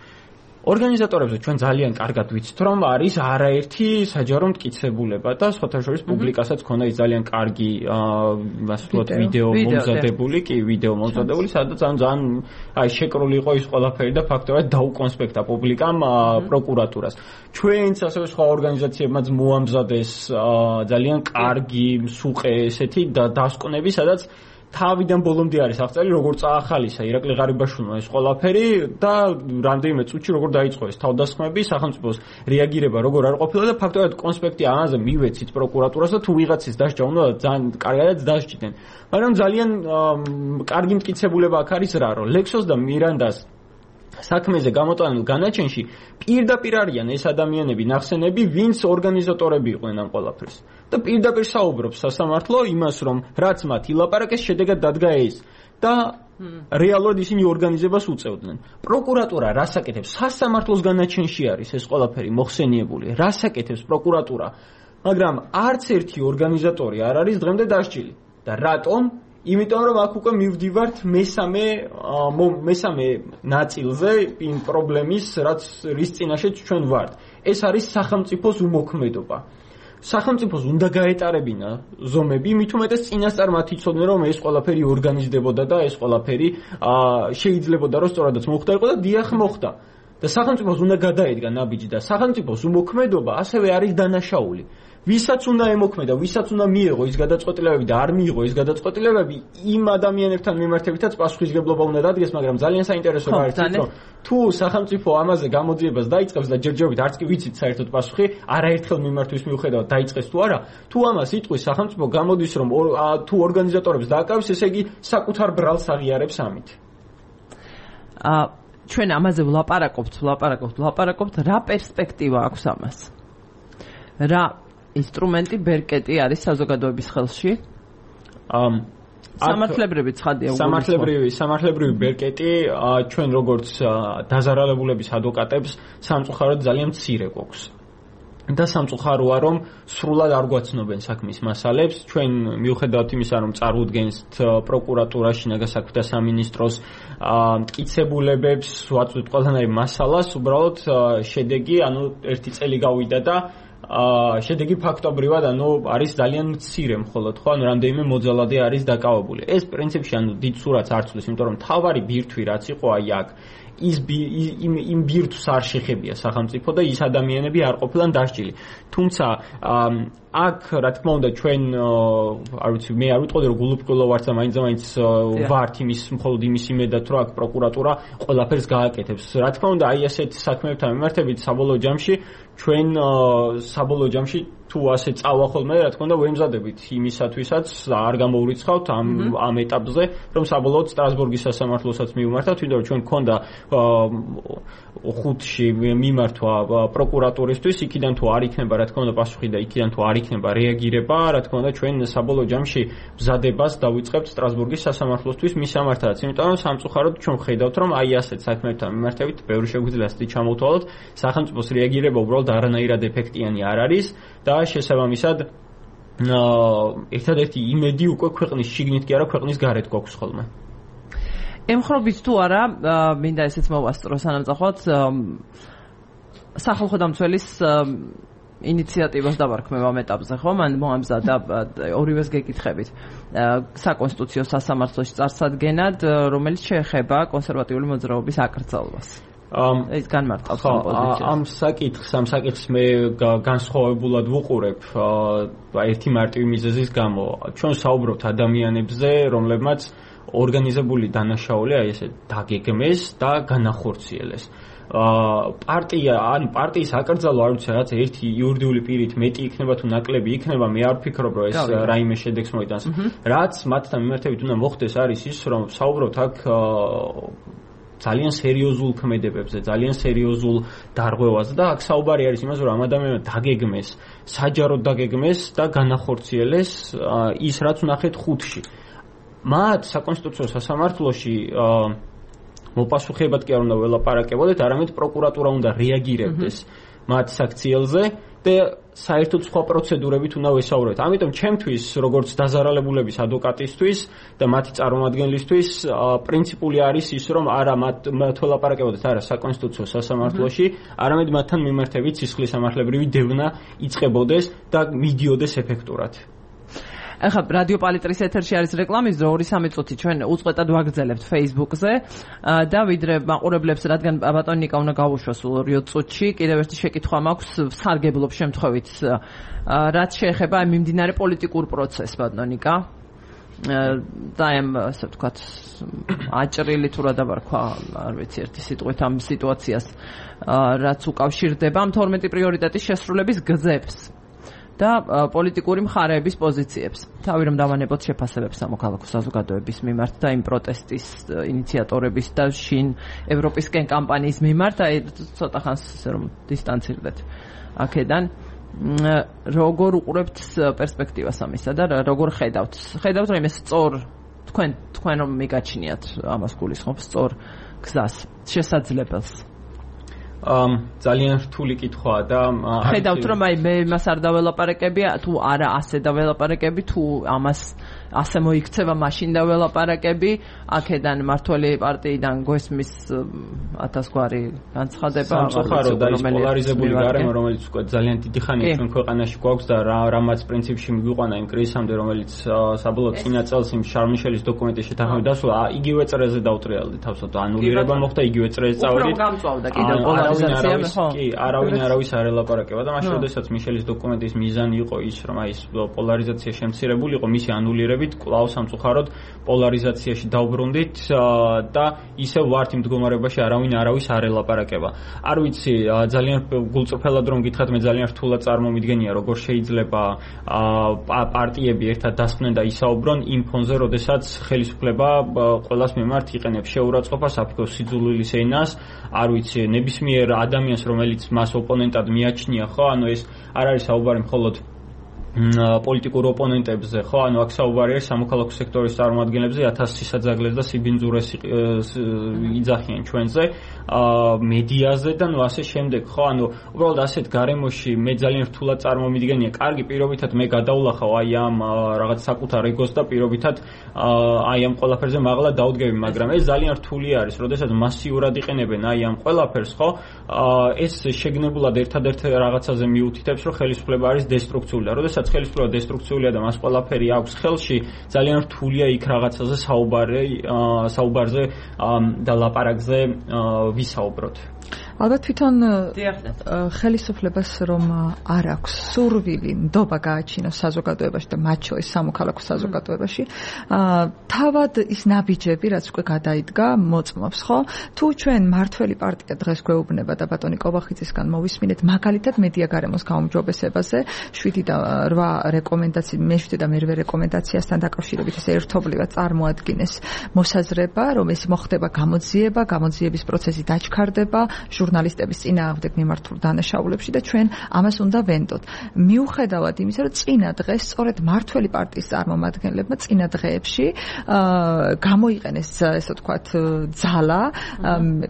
E: ორგანიზატორებზე ჩვენ ძალიან კარგად ვიცით, რომ არის არაერთი საჯარო მტკიცებულება და სხვათა შორის პუბლიკასაც ქონდა ის ძალიან კარგი ვიდეო მომზადებული, სადაც ძალიან შეკრული იყო ის ყველაფერი და ფაქტობრივად დაუკონსპექტა პუბლიკამ პროკურატურას. ჩვენც ასევე სხვა ორგანიზაციებმაც მოამზადეს ძალიან კარგი მსუყე ესეთი დასკვნები, სადაც თავიდან ბოლომდე არის აღწერილი, როგორ წაახალისა ირაკლი ღარიბაშვილმა ეს ყველაფერი და რამდენიმე წუთში როგორ დაიწყო ეს თავდასხმები, სახელმწიფოს რეაგირება როგორ არ ყოფილა და ფაქტობრივად კონსპექტი ამაზე მივეცით პროკურატურას და თუ ვიღაცის დასჯა უნდა ძალიან კარგადაც დასჯდნენ. მაგრამ ძალიან კარგი მტკიცებულება აქ არის რა, რომ ლექსოს და მირანდას საქმეზე გამოტანილ განაჩენში პირდაპირ არიან ეს ადამიანები ნახსენები, ვინც ორგანიზატორები იყვნენ ამ ყველაფრის. და პირდაპირ საუბრობს სასამართლო იმას, რომ რაც მათ ილაპარაკეს, შედეგად დადგა ეს და რეალურად ისინი ორგანიზებას უწევდნენ. პროკურატურა რას აკეთებს? სასამართლოს განაჩენში არის ეს ყველაფერი მოხსენიებული. რას აკეთებს პროკურატურა? მაგრამ არც ერთი ორგანიზატორი არ არის დღემდე დასჯილი. და რატომ? იმიტომ რომ აქ უკვე მივდივართ მესამე ნაწილზე იმ პრობლემის, რის წინაშეც ჩვენ ვართ. ეს არის სახელმწიფოს უმოქმედობა. სახელმწიფოს უნდა გაეტარებინა ზომები, მით უმეტეს წინასწარ მათ იცოდნენ, რომ ეს ყველაფერი ორგანიზდებოდა და ეს ყველაფერი შეიძლებოდა რომ სწორადაც მოხდარიყო და დიახ მოხდა. და სახელმწიფოს უნდა გადაედგა ნაბიჯი და სახელმწიფოს უმოქმედობა ასევე არის დანაშაული. ვისაც უნდა ემოქმედა, ვისაც უნდა მიიღო ის გადაწყვეტილებები და არ მიიღო ის გადაწყვეტილებები, იმ ადამიანებთან მიმართებითაც პასუხისგებლობა უნდა დადგეს, მაგრამ ძალიან საინტერესო არის ის, რომ თუ სახელმწიფო ამაზე გამოძიებას დაიწყებს და ჯერჯერობით არც კი ვიცით საერთოდ პასუხი, არაერთხელ მიმართვის მიუხედავად დაიწყეს თუ არა, თუ ამას იტყვის სახელმწიფო გამოდის, რომ თუ ორგანიზატორებს დააკავებს, ესე იგი საკუთარ ბრალს აღიარებს ამით.
A: ჩვენ ამაზე ვლაპარაკობთ, რა პერსპექტივა აქვს ამას? რა ინსტრუმენტი ბერკეტი არის საზოგადოების ხელში? სამართლებრივი ცხადია.
E: სამართლებრივი ბერკეტი ჩვენ როგორც დაზარალებულების ადვოკატებს სამწუხაროდ ძალიან მცირე გვაქვს. და სამწუხაროა რომ სრულად არ გვაცნობენ საქმის მასალებს ჩვენ მიუხედავად იმისა რომ წარუდგენთ პროკურატურაში ნაგასაქმეთა სამინისტროს მტკიცებულებებს ვაწვდით ყველანაირ მასალას უბრალოდ შედეგი ერთი წელი გავიდა და შედეგი ფაქტობრივად არის ძალიან მცირე მხოლოდ ხო რამდენიმე მოძალადე არის დაკავებული ეს პრინციპში დიდ სურათს არ ცვლის იმიტომ რომ თავარი ბირთვი რაც იყო აი აქ იმ ბირთვს არ შეხებია სახელმწიფო და ის ადამიანები არ ყოფილან დასჯილი თუმცა აქ რა თქმა უნდა ჩვენ არ ვიცი მე არ ვიტყოდი რომ გულუბრყვილო ვართ და მაინც ვართ იმის მხოლოდ იმის იმედად რომ აქ პროკურატურა ყველაფერს გააკეთებს რა თქმა უნდა აი ასეთ საქმეებთან მიმართებით საბოლოო ჯამში ჩვენ საბოლოო ჯამში თუ ასე წავა ხოლმე რა თქმა უნდა ვემზადებით იმისათვისაც არ გამოვრიცხავთ ამ ეტაპზე რომ საბოლოოდ სტრასბურგის სასამართლოსაც მივმართავთ იმიტომ რომ ჩვენ გქონდა ხუთში მიმართვა პროკურატურისთვის იქიდან თუ არ იქნება რა თქმა უნდა პასუხი და იქიდან თუ არ იქნება რეაგირება რა თქმა უნდა ჩვენ საბოლოო ჯამში მზადებას დავიწყებთ სტრასბურგის სასამართლოსთვის მისამართად იმიტომ რომ სამწუხაროდ ჩვენ ხედავთ რომ აი ასეთ საქმეებთან მიმართებით ბევრი შეგვიძლია ასეთი ჩამოთვალოთ სახელმწიფოს რეაგირება უბრალოდ არანაირად ეფექტიანი არ არის და შესაბამისად ერთადერთი იმედი უკვე ქვეყნის შიგნით კი არა ქვეყნის გარეთ გვაქვს ხოლმე
A: ემხრობით თუ არა მინდა ესეც მოვასწრო სანამწახოდ სახალხო დამცველის ინიციატივას დავარქმევ ამ ეტაპზე ხო მან მოამზადა ორივეს გეკითხებით საკონსტიტუციო სასამართლოში წარსადგენად რომელიც შეეხება კონსერვატიული მოძრაობის აკრძალვას ეს განმარტავს ამ პოზიციას
E: ამ საკითხს მე განსხვავებულად ვუყურებ ერთი მარტივი მიზეზის გამო ჩვენ საუბრობთ ადამიანებზე რომლებმაც ორგანიზებული დანაშაული აი ესე დაგეგმეს და განახორციელეს პარტია ან პარტიის აკრძალვა არ ვიცი რაღაც ერთი იურიდიული პირით მეტი იქნება თუ ნაკლები იქნება მე არ ვფიქრობ რომ ეს რაიმე შედეგს მოიტანს რაც მათთან მიმართებით უნდა მოხდეს არის ის რომ საუბრობთ აქ ძალიან სერიოზულ ქმედებებზე, ძალიან სერიოზულ დარღვევაზე და აქ საუბარი არის იმაზე, რომ ამ ადამიანმა დაგეგმეს, საჯაროდ დაგეგმეს და განახორციელეს ის, რაც ვნახეთ ხუთში. მათ საკონსტიტუციო სასამართლოში მოპასუხებად კი არ უნდა ველაპარაკებოდეთ, არამედ პროკურატურა უნდა რეაგირებდეს მათ საქციელზე და საერთოდ სხვა პროცედურებით უნდა ვესაუბროთ. ამიტომ ჩემთვის, როგორც დაზარალებულების ადვოკატისთვის და მათი წარმომადგენლისთვის, პრინციპული არის ის, რომ არა მათ ველაპარაკებოდეთ არა საკონსტიტუციო სასამართლოში, არამედ მათთან მიმართებით სისხლის სამართლებრივი დევნა იწყებოდეს და მიდიოდეს ეფექტურად.
A: ახლა რადიო პალიტრის ეთერში არის რეკლამის დრო 2-3 წუთი ჩვენ უწყვეტად ვაგრძელებთ Facebook-ზე და ვიდრე მაყურებლებს რადგან ბატონი ნიკა უნდა გავუშვას 2 წუთში კიდევ ერთი შეკითხვა მაქვს სარგებლობ შემთხვევით რაც შეეხება მიმდინარე პოლიტიკურ პროცესს ბატონი ნიკა და ამ ასე ვთქვათ აჭრილი თუ რა დავარქვა არ ვიცი ერთი სიტყვით ამ სიტუაციას რაც უკავშირდება 12 პრიორიტეტის შესრულების გზებს და პოლიტიკური მხარეების პოზიციებს. თავი რომ დავანებოთ შეფასებებს სამოქალაქო საზოგადოების მიმართ და იმ პროტესტის ინიციატორების და შინ ევროპისკენ კამპანიის მიმართ, აი ცოტა ხანს რომ დისტანცირდეთ აქედან. როგორ უყურებთ პერსპექტივას ამისა და როგორ ხედავთ? ხედავთ რომ ეს სწორ თქვენ რომ მიგაჩნიათ ამას გულისხმობს სწორ გზას, შესაძლებელს.
E: ძალიან რთული კითხვაა და
A: ხედავთ რომ აი მე იმას არ დაველაპარაკები თუ არა ასე დაველაპარაკები თუ ამას ასე მოიქცევა მაშინ დაველაპარაკები აქედან მართველი პარტიიდან გვესმის 1000 გვარი განცხადება
E: სამწუხარო და ის პოლარიზებული გარემო რომელიც უკვე ძალიან დიდი ხანია ჩვენ ქვეყანაში გვაქვს და რამაც პრინციპში მიგვიყვანა იმ კრიზისამდე რომელიც საბოლოოდ წინა წელს იმ შარმიშელის დოკუმენტის შეთანხმებით დასრულდა იგივე წრეზე დავუტრიალდი თავსოთ ანულირება მოხდა იგივე წრეზე წავედით
A: უფრო გამწვავდა კიდევ პოლარიზაცია ხო
E: არავის არ ელაპარაკება და მაშინ როდესაც მიშელის დოკუმენტის მიზანი იყო ის რომ აი ეს პოლარიზაცია შემცირებული იყო მისი ანულირებით კვლავ სამწუხაროდ პოლარიზაციაში დავბრუნდით და ისევ ვართ იმ მდგომარეობაში არავის არ ელაპარაკება არ ვიცი ძალიან გულწრფელად რომ გითხრათ მე ძალიან რთულად წარმომიდგენია როგორ შეიძლება პარტიები ერთად დასხდნენ და ისაუბრონ იმ ფონზე როდესაც ხელისუფლება ყველას მიმართ იყენებს შეურაცხყოფას აფიქოს სიძულვილის ენას არ ვიცი ნებისმიერ ადამიანს რომელიც მას ოპონენტად მიაჩნია ხო ანუ ეს არ არის საუბარი მხოლოდ პოლიტიკურ ოპონენტებზე, ხო, ანუ აქ საუბარია სამოქალაქო სექტორის წარმომადგენლებზე 1000 სისაძაგლეს და სიბინძურეს იძახიან ჩვენზე, მედიაზე და ნუ ასე შემდეგ, ხო, ანუ უბრალოდ ასეთ გარემოში მე ძალიან რთულად წარმომიდგენია, კარგი პირობითად მე გადავლახავ აი ამ რაღაც საკუთარ ეგოს და პირობითად აი ამ ყველაფერზე მაღლა დავდგები, მაგრამ ეს ძალიან რთული არის, როდესაც მასიურად იყენებენ აი ამ ყველაფერს, ხო, ეს შეგნებულად ერთადერთ რაღაცაზე მიუთითებს, რომ ხელისუფლება არის დესტრუქციული და როდესაც ხელისუფლება დესტრუქციულია და მას ყველაფერი აქვს ხელში, ძალიან რთულია იქ რაღაცაზე საუბარზე და ლაპარაკზე ვისაუბროთ.
F: ალბათ თვითონ ხელისუფლებას რომ არ აქვს სურვილი ნდობა გააჩინოს საზოგადოებაში და მათ შორის სამოქალაქო საზოგადოებაში, თავად ის ნაბიჯები, რაც უკვე გადაიდგა, მოწმობს, ხო? თუ ჩვენ მართველი პარტია დღეს გვეუბნება და ბატონი კობახიძისგან მოვისმინეთ მაგალითად მედია გარემოს გაუმჯობესებაზე 7 და 8 რეკომენდაცია, მე-7 და მე-8 რეკომენდაციასთან დაკავშირებით ეს ერთობლივად წარმოადგენეს მოსაზრება, რომ ეს მოხდება გამოძიების პროცესი დაჩქარდება ჟურნალისტების წინააღმდეგ მიმართულ დანაშაულებში და ჩვენ ამას უნდა ვენდოთ. მიუხედავად იმისა, რომ წინა დღეს სწორედ მართველი პარტიის წარმომადგენლებმა წინა დღეებში გამოიყენეს ესე ვთქვათ ძალა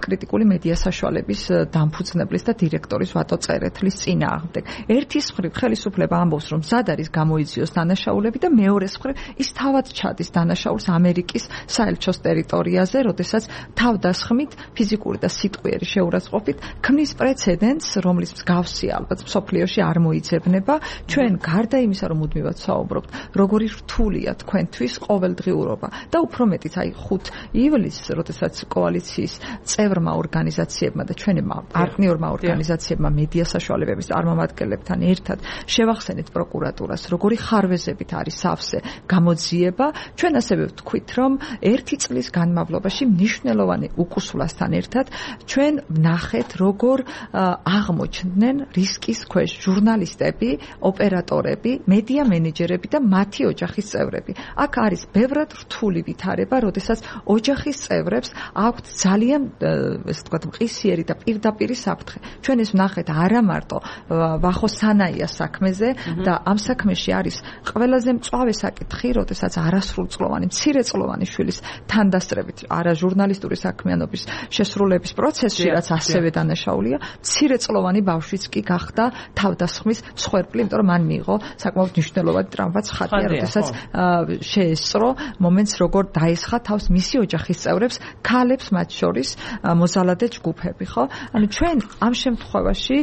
F: კრიტიკული მედია საშუალების დამფუძნებლის და დირექტორის ვატო წერეთლის წინააღმდეგ. ერთის მხრივ ხელისუფლება ამბობს, რომ მზად არის გამოიძიოს დანაშაულები და მეორეს მხრივ ის თავად ჩადის დანაშაულს ამერიკის საელჩოს ტერიტორიაზე, როდესაც თავდასხმით ფიზიკური და სიტყვიერი შეურაცხყოფით ქმნის პრეცედენტს, რომლის მსგავსი ალბათ მსოფლიოში არ მოიძებნება. ჩვენ გარდა იმისა, რომ მუდმივად საუბრობთ, როგორი რთულია თქვენთვის ყოველდღიურობა და უფრო მეტიც აი 5 ივლისს, როდესაც კოალიციის წევრმა ორგანიზაციებმა და ჩვენმა პარტნიორმა ორგანიზაციებმა მედია საშუალებების წარმომადგენლებთან ერთად შევახსენეთ პროკურატურას, როგორი ხარვეზებით არის სავსე გამოძიება. ჩვენ ასევე ვთქვით, რომ 1 წლის განმავლობაში მნიშვნელოვანი უკუსვლასთან ერთად ჩვენ ვნახეთ, როგორ აღმოჩნდნენ რისკის ქვეშ ჟურნალისტები, ოპერატორები, მედია მენეჯერები და მათი ოჯახის წევრები. აქ არის ბევრად რთული ვითარება, როდესაც ოჯახის წევრებს აქვთ ძალიან ესე ვთქვათ მყისიერი და პირდაპირი საფრთხე. ჩვენ ეს ვნახეთ არა მარტო ვახოსანაიას საქმეზე და ამ საქმეში არის ყველაზე მწვავე საკითხი, როდესაც არასრულწლოვანი, მცირეწლოვანი შვილის თანდასწრებით არა ჟურნალისტური საქმიანობის შესრულების პროცესში, რაც ასევე დანაშაულია, მცირეწლოვანი ბავშვიც კი გახდა თავდასხმის მსხვერპლი, იმიტომ რომ მან მიიღო საკმაოდ მნიშვნელოვანი ტრავმაც ხატია, როდესაც შეესწრო მომენტს, როგორ დაესხა თავს მისი ოჯახის წევრებს, ქალებს მათ შორის მოზალადე ჯგუფები, ხო? ანუ ჩვენ ამ შემთხვევაში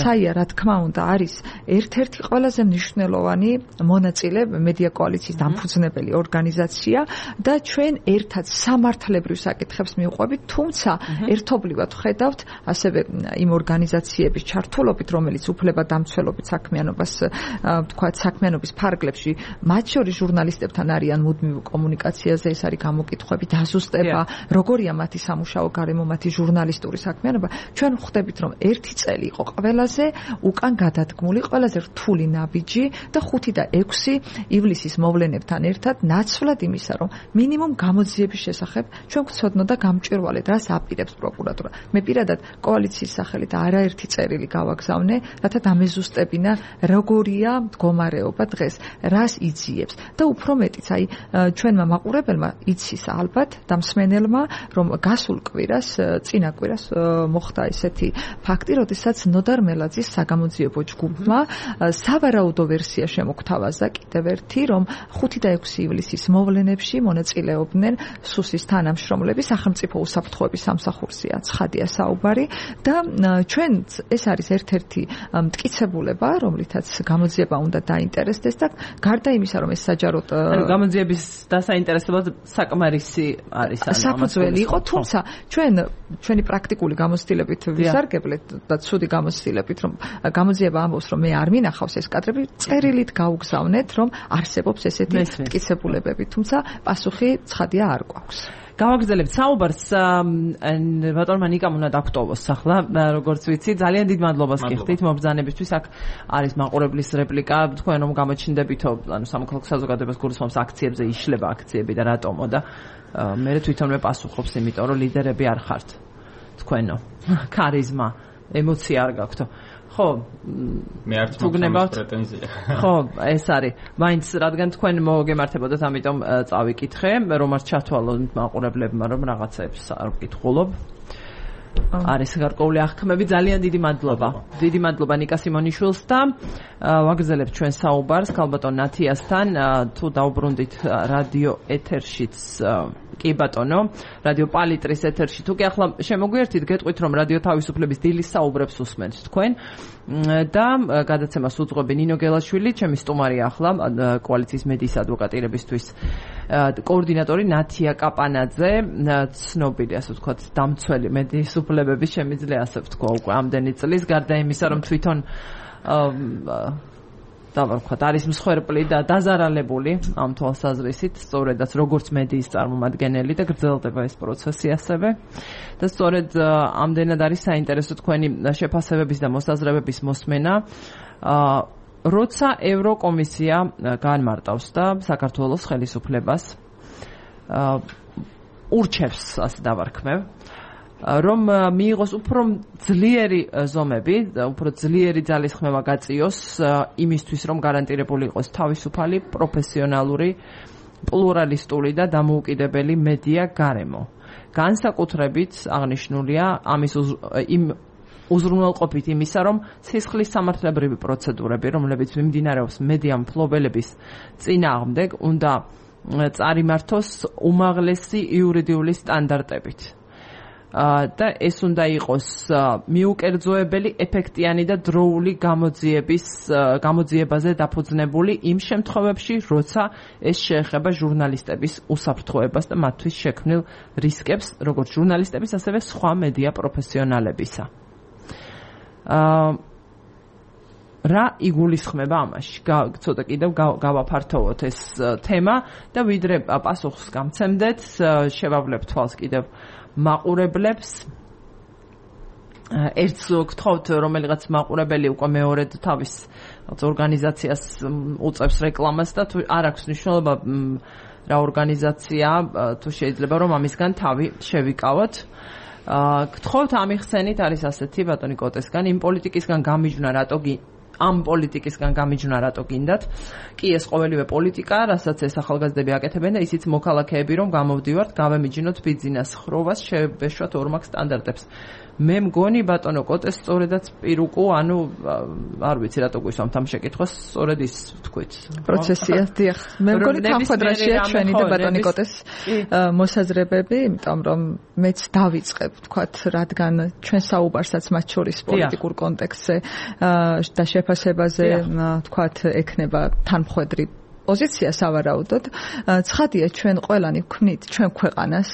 F: საია რა თქმა უნდა არის ერთ-ერთი ყველაზე მნიშვნელოვანი მონაწილე მედია კოალიციის დამფუძნებელი ორგანიზაცია და ჩვენ ერთად სამართლებრივ საკითხებს მივყვებით, თუმცა ერთობლივად ხედავთ ასევე იმ ორგანიზაციების ჩართულობით, რომელიც უფლებადამცველობით საქმიანობას ვთქვათ საქმიანობის ფარგლებში, მათ შორის ჟურნალისტებთან არიან მუდმივ კომუნიკაციაზე, ეს არის გამოკითხვები, დაზუსტება, როგორია მათი სამუშაო გარემო, მათი ჟურნალისტური საქმიანობა. ჩვენ ვხვდებით, რომ 1 წელი იყო ყველაზე უკან გადადგმული, ყველაზე რთული ნაბიჯი და 5 და 6 ივლისის მოვლენებთან ერთად ნაცვლად იმისა, რომ მინიმუმ გამოძიების შესახებ ჩვენ გვცოდნოდა გამჭვირვალედ, რას აპირებს პროკურატურა. მე პირადად კოალიციის სახელით არაერთი წერილი გავაგზავნე, რათა დამეზუსტებინა როგორია მდგომარეობა დღეს, რას იძიებს და უფრო მეტიც აი ჩვენმა მაყურებელმა იცის ალბათ და მსმენელმა, რომ გასულ კვირას, წინა კვირას მოხდა ესეთი ფაქტი, როდესაც ნოდარ მელაძის საგამოძიებო ჯგუფმა სავარაუდო ვერსია შემოგთავაზა კიდევ ერთი, რომ 5 და 6 ივლისის მოვლენებში მონაწილეობდნენ სუსის თანამშრომლები, სახელმწიფო უსაფრთხოების სამსახურზეა ცხადია საუბარი და ჩვენ ეს არის ერთ-ერთი მტკიცებულება, რომლითაც გამოძიება უნდა დაინტერესდეს და გარდა იმისა, რომ ეს საჯაროდ
A: გამოძიების დასაინტერესებლად საკმარისი არის
F: საფუძველი იყო, თუმცა ჩვენი პრაქტიკული გამოცდილებით ვისარგებლეთ და ცუდი გამოცდილებით, რომ გამოძიება ამბობს, რომ მე არ მინახავს ეს კადრები, წერილით გავგზავნეთ, რომ არსებობს ესეთი მტკიცებულებები, თუმცა პასუხი ცხადია არ გვაქვს.
A: გავაგრძელებთ საუბარს ბატონმა ნიკამ უნდა დაგტოვოს ახლა, როგორც ვიცი, ძალიან დიდ მადლობას გიხდით მობრძანებისთვის. აქ არის მაყურებლის რეპლიკა, თქვენ რომ გამოჩნდებითო, ანუ სამოქალაქო საზოგადოებას გულისხმობს აქციებზე იშლება აქციები და რატომო და მე თვითონვე პასუხობს, იმიტომ რომ ლიდერები არ ხართ თქვენო. ქარიზმა, ემოცია არ გაქვთო. ხო,
E: მე არც მაქვს პრეტენზია.
A: ხო, ეს არის. მაინც რადგან თქვენ მოგემართებოდათ, ამიტომ წავიკითხე, რომ არ ჩათვალოთ მაყურებლებმა, რომ რაღაცებს არ ვკითხულობ. არის გარკვეული აღქმები, ძალიან დიდი მადლობა. დიდი მადლობა ნიკა სიმონიშვილს და ვაგრძელებთ ჩვენ საუბარს ქალბატონ ნათიასთან, თუ დაუბრუნდით რადიო ეთერშიც კი ბატონო, რადიო პალიტრის ეთერში. თუ კი ახლა შემოგვიერთით, გეტყვით რომ რადიო თავისუფლების დილის საუბრებს უსმენთ თქვენ და გადაცემას უძღვები ნინო გელაშვილი, ჩემი სტუმარია ახლა კოალიციის მედიის ადვოკატირებისთვის კოორდინატორი ნათია კაპანაძე, ცნობილი ასე ვთქვათ დამცველი მედიის უფლებების შემიძლია ასე ვთქვა უკვე ამდენი წლის, გარდა იმისა რომ თვითონ დავარქვათ არის მსხვერპლი და დაზარალებული ამ თვალსაზრისით, სწორედაც როგორც მედიის წარმომადგენელი და გრძელდება ეს პროცესი ასევე და სწორედ ამდენად არის საინტერესო თქვენი შეფასებების და მოსაზრებების მოსმენა, როცა ევროკომისია განმარტავს და საქართველოს ხელისუფლებას ურჩევს, ასე დავარქმევ, რომ მიიღოს უფრო ძლიერი ზომები, უფრო ძლიერი ძალისხმევა გაწიოს იმისთვის, რომ გარანტირებული იყოს თავისუფალი, პროფესიონალური, პლურალისტური და დამოუკიდებელი მედია გარემო. განსაკუთრებით აღნიშნულია ამის იმ უზრუნველყოფით იმისა, რომ სისხლის სამართლებრივი პროცედურები, რომლებიც მიმდინარეობს მედია მფლობელების წინააღმდეგ, უნდა წარიმართოს უმაღლესი იურიდიული სტანდარტებით. და ეს უნდა იყოს მიუკერძოებელი, ეფექტიანი და დროული გამოძიებაზე დაფუძნებული იმ შემთხვევებში, როცა ეს შეეხება ჟურნალისტების უსაფრთხოებას და მათთვის შექმნილ რისკებს, როგორც ჟურნალისტების, ასევე სხვა მედია პროფესიონალებისა. რა იგულისხმება ამაში? ცოტა კიდევ გავაფართოვოთ ეს თემა და ვიდრე პასუხს გამცემდეთ, შევავლებთ თვალს კიდევ მაყურებლებს. ერთს გთხოვთ, რომელიღაც მაყურებელი უკვე მეორედ თავის ორგანიზაციას უწევს რეკლამას და თუ არ აქვს მნიშვნელობა რა ორგანიზაცია, თუ შეიძლება რომ ამისგან თავი შევიკავოთ. გთხოვთ ამიხსენით, არის ასეთი ბატონი კოტესგან, იმ პოლიტიკისგან გამიჯვნა რატო გინდათ? კი, ეს ყოველივე პოლიტიკა, რასაც ეს ახალგაზრდები აკეთებენ და ისიც მოქალაქეები რომ გამოვდივართ, გავემიჯნოთ ბიძინას ხროვას, შევეშვათ ორმაგ სტანდარტებს. მე მგონი ბატონო კოტეს სწორედაც პირუკუ, ანუ არ ვიცი რატო გვისვამთ ამ შეკითხვას, სწორედ ის ვთქვით.
F: პროცესია, დიახ. მე მგონი თანხმდრაშია ჩვენი და ბატონი კოტეს მოსაზრებები, იმიტომ რომ მეც დავიწყებ, ვთქვათ, რადგან ჩვენ საუბარსაც მათ შორის პოლიტიკურ კონტექსტზე და შეფასებაზე, ვთქვათ, ექნება თანმხვედრი პოზიცია სავარაუდოდ. ცხადია, ჩვენ ყველანი ვქმნით ჩვენ ქვეყანას,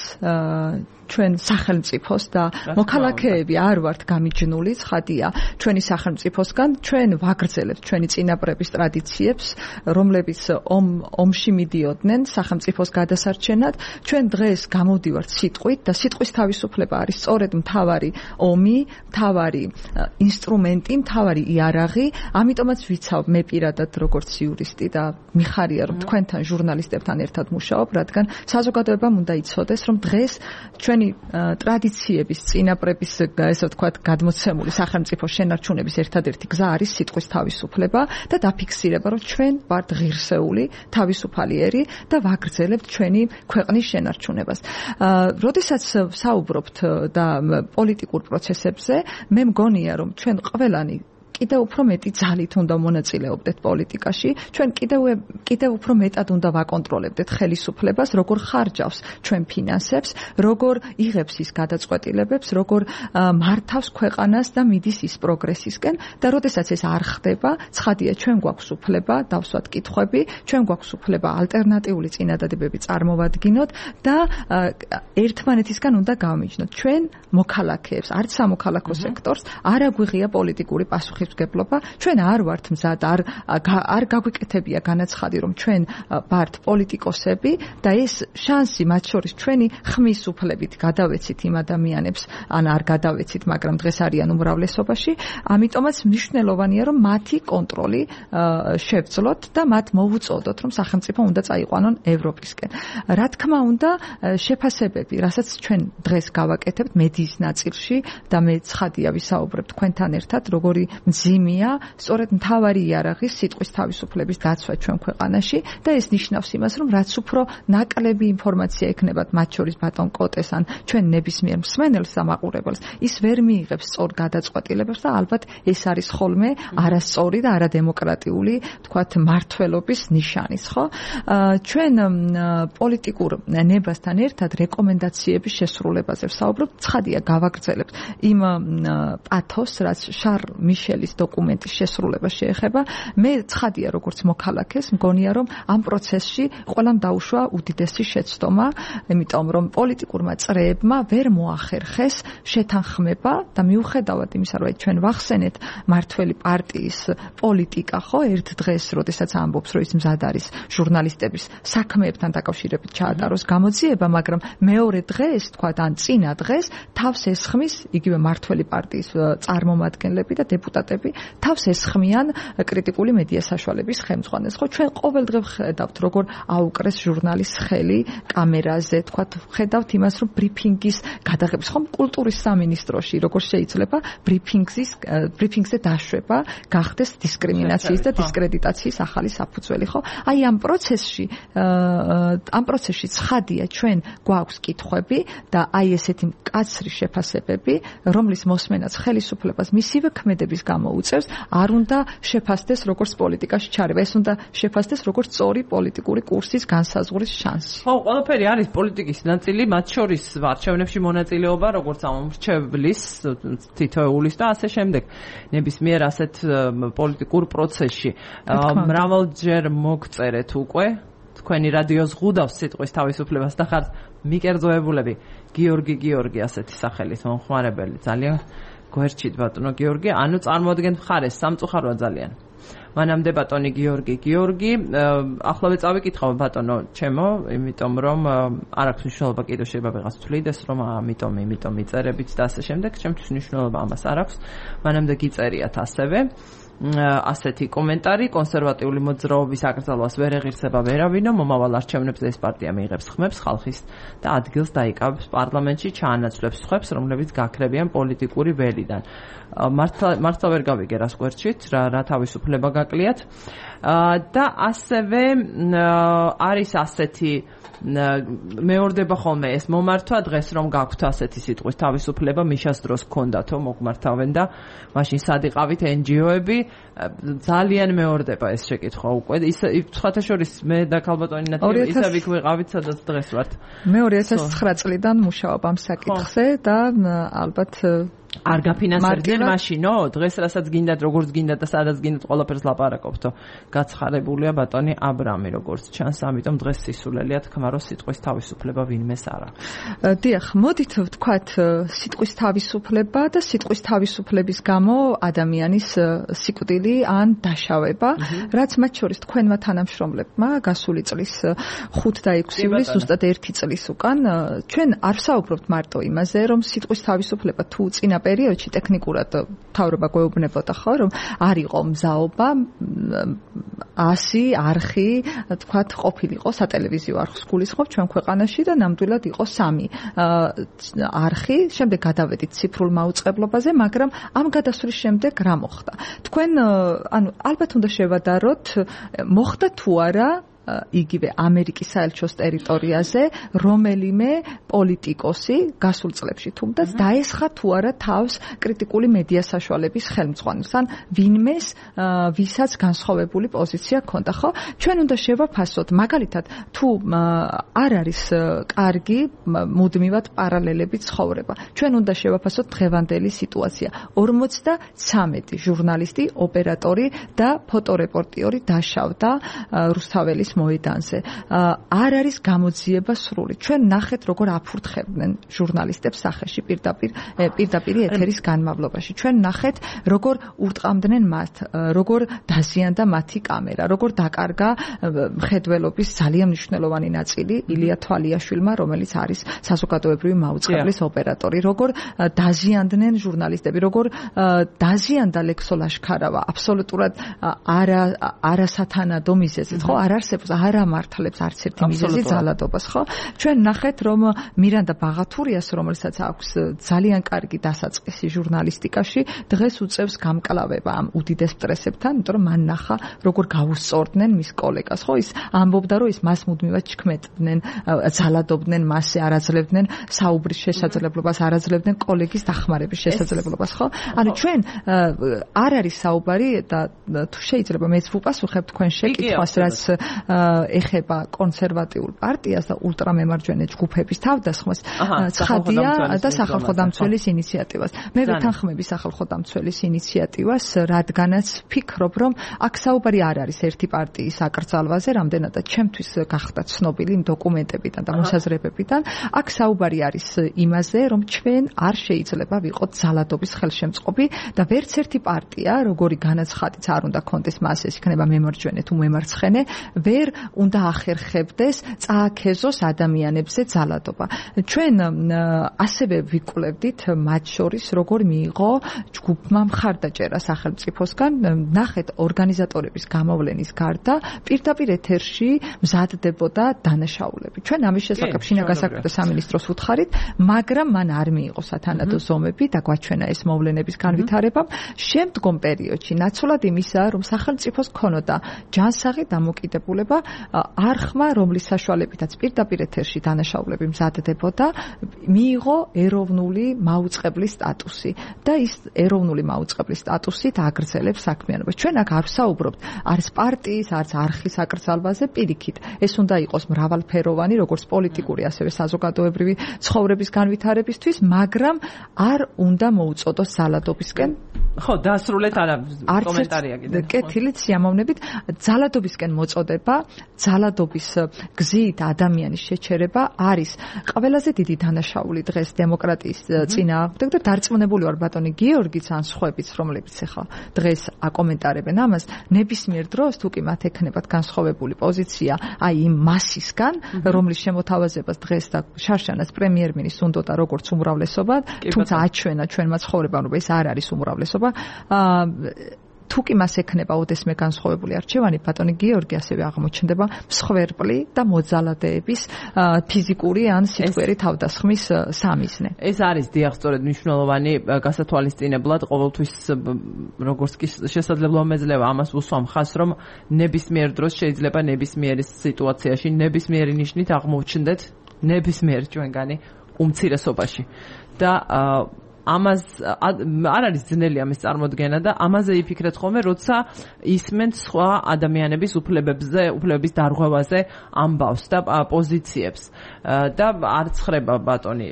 F: ჩვენ სახელმწიფოს და მოქალაქეები არ ვართ გამიჯნული, ცხადია, ჩვენი სახელმწიფოსგან ჩვენ ვაგრძელებთ ჩვენი წინაპრების ტრადიციებს, რომლებიც ომში მიდიოდნენ სახელმწიფოს გადასარჩენად. ჩვენ დღეს გამოვდივართ სიტყვით და სიტყვის თავისუფლება არის სწორედ მთავარი ომი, მთავარი ინსტრუმენტი, მთავარი იარაღი. ამიტომაც ვიცავ მე პირადად როგორც იურისტი და მიხარია რომ თქვენთან ჟურნალისტებთან ერთად მუშაობ, რადგან საზოგადოებამ უნდა იცოდეს, რომ დღეს ჩვენი ტრადიციების, წინაპრების, ესე ვთქვათ, გადმოცემული სახელმწიფოს შენარჩუნების ერთადერთი გზა არის სიტყვის თავისუფლება და დაფიქსირება, რომ ჩვენ ვართ ღირსეული, თავისუფალიერი და ვაგრძელებთ ჩვენი ქვეყნის შენარჩუნებას. როდესაც საუბრობთ და პოლიტიკურ პროცესებზე, მე მგონია, რომ ჩვენ ყველანი კიდევ უფრო მეტი ძალით უნდა მონაწილეობდეთ პოლიტიკაში, ჩვენ კიდევ უფრო მეტად უნდა ვაკონტროლებდეთ ხელისუფლებას, როგორ ხარჯავს ჩვენ ფინანსებს, როგორ იღებს ის გადაწყვეტილებებს, როგორ მართავს ქვეყანას და მიდის ის პროგრესისკენ და როდესაც ეს არ ხდება, ცხადია, ჩვენ გვაქვს უფლება დავსვათ კითხვები, ჩვენ გვაქვს უფლება ალტერნატიული წინადადებები წარმოვადგინოთ და ერთმანეთისგან უნდა გავმიჯნოთ. ჩვენ მოქალაქეებს, არც სამოქალაქო სექტორს არ აგვიღია პოლიტიკური პასუხი ჩვენ არ ვართ მზად, არ გაგვიკეთებია განაცხადი, რომ ჩვენ ვართ პოლიტიკოსები და ეს შანსი მათ შორის ჩვენი ხმის უფლებით გადავეცით იმ ადამიანებს, ან არ გადავეცით, მაგრამ დღეს არიან უმრავლესობაში. ამიტომაც მნიშვნელოვანია, რომ მათი კონტროლი შევძლოთ და მათ მოვუწოდოთ, რომ სახელმწიფო უნდა წაიყვანონ ევროპისკენ. რა თქმა უნდა, შეფასებები, რასაც ჩვენ დღეს გავაკეთებთ მედიის ნაწილში და მე ცხადია ვისაუბრებ თქვენთან ერთად, როგორი მძიმეა სწორედ მთავარი იარაღის სიტყვის თავისუფლების დაცვა ჩვენ ქვეყანაში და ეს ნიშნავს იმას, რომ რაც უფრო ნაკლები ინფორმაცია ექნებათ მათ შორის ბატონ კოტეს ან ჩვენ ნებისმიერ მსმენელს და მაყურებელს, ის ვერ მიიღებს სწორ გადაწყვეტილებებს და ალბათ ეს არის ხოლმე არასწორი და არადემოკრატიული, თქვათ, მართლობის ნიშანის, ხო? ჩვენ პოლიტიკურ ნებასთან ერთად რეკომენდაციების შესრულებაზე ვსაუბრობთ. ცხადია, გავაგრძელებთ იმ პათოს, რაც შარ მიშელის დოკუმენტის შესრულება შეეხება. მე ცხადია, როგორც მოქალაქეს, მგონია, რომ ამ პროცესში ყველამ დაუშვა უდიდესი შეცდომა, იმიტომ რომ პოლიტიკურმა წრეებმა ვერ მოახერხეს შეთანხმება და მიუხედავად იმისა, რომ ჩვენ ვახსენეთ მართველი პარტიის პოლიტიკა, ხო, ერთ დღეს, როდესაც ამბობს, რომ ის მზად არის ჟურნალისტების საქმეებთან დაკავშირებით ჩაატაროს გამოძიება, მაგრამ მეორე დღეს, თქვა, ან წინა დღეს თავს ესხმის იგივე მართველი პარტიის წარმომადგენლები და დეპუტატები თავს ესხმიან კრიტიკული მედია საშუალების ხელმძღვანელს. ხო, ჩვენ ყოველდღე ვხედავთ, როგორ აუკრეს ჟურნალის ხელი კამერაზე, თქვა, ვხედავთ იმას, რომ ბრიფინგის გადაღების, ხომ, კულტურის სამინისტროში როგორ შეიძლება ბრიფინგზე დაშვება გახდეს დისკრიმინაციის და დისკრედიტაციის ახალი საფუძველი, ხო? აი ამ პროცესში ცხადია ჩვენ გვაქვს კითხვები და აი ესეთი მკაცრი შეფასებები, რომლის მოსმენაც ხელისუფლებას მისივე ქმედების გამო უწევს, არ უნდა შეფასდეს როგორც პოლიტიკაში ჩარევა, ეს უნდა შეფასდეს როგორც სწორი პოლიტიკური კურსის განსაზღვრის შანსი.
A: ხო, ყველაფერი არის პოლიტიკის ნაწილი, მათ შორის არჩევნებში მონაწილეობა, როგორც ამორჩევლის, თითოეულის და ასე შემდეგ. ნებისმიერ ასეთ პოლიტიკურ პროცესში. მრავალჯერ მოგწერეთ უკვე თქვენი რადიო ზღუდავს სიტყვის თავისუფლებას და ხართ მიკერძოებულები. გიორგი ასეთი სახელის მომხმარებელი, ძალიან გვერდჩით ბატონო გიორგი, ანუ წარმოადგენთ მხარეს, სამწუხაროა ძალიან. მანამდე ბატონი გიორგი, ახლავე წავიკითხავ ბატონო ჩემო, იმიტომ რომ არ აქვს მნიშვნელობა კიდევ შეიძლება ვიღაც თვლიდეს, რომ ამიტომ იწერებით და ასე შემდეგ, ჩემთვის მნიშვნელობა ამას არ აქვს. მანამდე გიწერიათ ასევე ასეთი კომენტარი, კონსერვატიული მოძრაობის აკრძალვას ვერ ეღირსება ვერავინო, მომავალ არჩევნებზე ეს პარტია მიიღებს ხმებს ხალხის და ადგილს დაიკავებს პარლამენტში, ჩაანაცვლებს ხმებს, რომლებიც გაქრებიან პოლიტიკური ველიდან. მართლა ვერ გავიგე რას გვერდჩით, რა თავისუფლება გაკლიათ. და ასევე არის ასეთი მეორდება ხოლმე ეს მომართვა დღეს რომ გაქვთ ასეთი სიტყვის თავისუფლება, მიშას დროს გქონდათო მოგმართავენ და მაშინ სად იყავით NGO-ები, ძალიან მეორდება ეს შეკითხვა უკვე. სხვათა შორის მე და ქალბატონი ნათლია ისევ იქ ვიყავით, სადაც დღეს ვართ.
F: მე 2009 წლიდან მუშაობ ამ საკითხზე და ალბათ
A: არ გაფინანსებდნენ მაშინო, დღეს რასაც გინდათ, როგორც გინდათ და სადაც გინდათ, ყველაფერს ლაპარაკობთო. გაცხარებულია ბატონი აბრამი, როგორც ჩანს, ამიტომ დღეს სისულელია თქმა, რომ სიტყვის თავისუფლება ვინმეს არა.
F: დიახ, მოდით ვთქვათ, სიტყვის თავისუფლება და სიტყვის თავისუფლების გამო ადამიანის სიკვდილი ან დაშავება, რაც მათ შორის თქვენმა თანამშრომლებმა გასული წლის 5 და 6 ივლისს, ზუსტად 1 წლის უკან, ჩვენ არ ვსაუბრობთ მარტო იმაზე, რომ სიტყვის თავისუფლება თუ წინა პერიოდში ტექნიკურად თავრობა გვეუბნებოდა ხო, რომ არ იყო მზაობა 100 არხი, თქვათ, ყოფილიყო სატელევიზიო არხს გულისხმობ ჩვენ ქვეყანაში და ნამდვილად იყო 3 არხი, შემდეგ გადავედით ციფრულ მაუწყებლობაზე, მაგრამ ამ გადასვლის შემდეგ რა მოხდა? თქვენ ალბათ უნდა შევადაროთ, მოხდა თუ არა იგივე ამერიკის საელჩოს ტერიტორიაზე რომელიმე პოლიტიკოსი გასულ წლებში თუმდაც დაესხა თუ არა თავს კრიტიკული მედია საშუალების ხელმძღვანელს ან ვინმეს ვისაც განსხვავებული პოზიცია ჰქონდა, ხო? ჩვენ უნდა შევაფასოთ, მაგალითად, თუ არ არის კარგი მუდმივად პარალელები ცხოვრება. ჩვენ უნდა შევაფასოთ დღევანდელი სიტუაცია. 53 ჟურნალისტი, ოპერატორი და ფოტორეპორტიორი დაშავდა რუსთაველის მოედანზე. არ არის გამოძიება სრული. ჩვენ ნახეთ, როგორ აფურთხებდნენ ჟურნალისტებს სახეში პირდაპირ ეთერის განმავლობაში. ჩვენ ნახეთ, როგორ ურტყამდნენ მათ, როგორ დაზიანდა მათი კამერა, როგორ დაკარგა მხედველობის ძალიან მნიშვნელოვანი ნაწილი ილია თვალიაშვილმა, რომელიც არის საზოგადოებრივი მაუწყებლის ოპერატორი, როგორ დაზიანდნენ ჟურნალისტები, როგორ დაზიანდა ლექსო ლაშქარავა აბსოლუტურად არასათანადო მიზეზით, ხო? არ არსებობს პრინციპს არ ამართლებს არც ერთი მიზეზი ძალადობას, ხო? ჩვენ ნახეთ, რომ მირანდა ბაღათურიას, რომელსაც აქვს ძალიან კარგი დასაწყისი ჟურნალისტიკაში, დღეს უწევს გამკლავება ამ უდიდეს სტრესებთან, იმიტომ რომ მან ნახა, როგორ გაუსწორდნენ მის კოლეგას, ხო? ის ამბობდა, რომ ის მას მუდმივად ჩქმედნენ, ძალადობდნენ მასზე, არ აძლევდნენ საუბრის შესაძლებლობას, არ აძლევდნენ კოლეგის დახმარების შესაძლებლობას, ხო? ანუ ჩვენ არ არის საუბარი და თუ შეიძლება მეც ვუპასუხებ თქვენ შეკითხვას, რაც ეხება კონსერვატიულ პარტიას და ულტრამემარჯვენე ჯგუფების თავდასხმას, ცხადია და სახალხო დამცველის ინიციატივას. მე ვეთანხმები სახალხო დამცველის ინიციატივას, რადგანაც ფიქრობ, რომ აქ საუბარი არ არის ერთი პარტიის აკრძალვაზე, რამდენადაც ჩემთვის გახდა ცნობილი იმ დოკუმენტებიდან და მოსაზრებებიდან, აქ საუბარი არის იმაზე, რომ ჩვენ არ შეიძლება ვიყოთ ძალადობის ხელშემწყობი და ვერც ერთი პარტია, როგორი განაცხადიც არ უნდა კონდეს მას, ეს იქნება მემარჯვენე თუ მემარცხენე, ვერ უნდა ახერხებდეს წააქეზოს ადამიანებზე ძალადობა. ჩვენ ასევე ვიკვლევდით მათ შორის, როგორ მიიღო ჯგუფმა მხარდაჭერა სახელმწიფოსგან, ნახეთ ორგანიზატორების გამოვლენის გარდა პირდაპირ ეთერში მზადდებოდა დანაშაულები. ჩვენ ამის შესახებ შინაგან საქმეთა სამინისტროს ვუთხარით, მაგრამ მან არ მიიღო სათანადო ზომები და გვაჩვენა ეს მოვლენების განვითარება. შემდგომ პერიოდში ნაცვლად იმისა, რომ სახელმწიფოს ქონოდა ჯანსაღი დამოკიდებულება არხმა, რომლის საშუალებითაც პირდაპირ ეთერში დანაშაულები მზადდებოდა, მიიღო ეროვნული მაუწყებლის სტატუსი და ის ეროვნული მაუწყებლის სტატუსით აგრძელებს საქმიანობას. ჩვენ აქ არ ვსაუბრობთ არც პარტიის, არც არხის აკრძალვაზე, პირიქით. ეს უნდა იყოს მრავალფეროვანი, როგორც პოლიტიკური, ასევე საზოგადოებრივი ცხოვრების განვითარებისთვის, მაგრამ არ უნდა მოუწოდოს ძალადობისკენ.
A: ხო, დასრულეთ არა კომენტარია კიდე.
F: კეთილით სიამოვნებით, ძალადობისკენ მოწოდება, ძალადობის გზით ადამიანის შეჩერება არის ყველაზე დიდი დანაშაული დღეს დემოკრატიის წინააღმდეგ და დარწმუნებული ვარ ბატონი გიორგიც ან სხვაებიც, რომლებიც ახლა დღეს აკომენტარებენ ამას, ნებისმიერ დროს თუ კი მათ ექნებათ განსხვავებული პოზიცია აი იმ მასისგან, რომლის შემოთავაზებას დღეს და შარშანას პრემიერ-მინისტრს უნდოდა როგორც უმრავლესობა, თუმცა აჩვენა ჩვენმა ცხოვრებამ, რომ ეს არ არის უმრავლესობა. თუ კი მას ექნება ოდესმე განსხვავებული არჩევანი, ბატონი გიორგი ასევე აღმოჩნდება მსხვერპლი და მოძალადეების ფიზიკური ან სიტყვიერი თავდასხმის სამიზნე.
A: ეს არის დიახ, სწორედ მნიშვნელოვანი გასათვალისწინებლად, ყოველთვის როგორც კი შესაძლებლობა მეძლევა ამას ვუსვამ ხაზს, რომ ნებისმიერ დროს შეიძლება ნებისმიერ სიტუაციაში, ნებისმიერი ნიშნით აღმოჩნდეთ ნებისმიერ ჩვენგანი უმცირესობაში. და ამას არ არის ძნელი ამის წარმოდგენა და ამაზე იფიქრეთ ხოლმე, როცა ისმენთ სხვა ადამიანების უფლებების დარღვევაზე ამბავს და პოზიციებს. და არ ცხრება ბატონი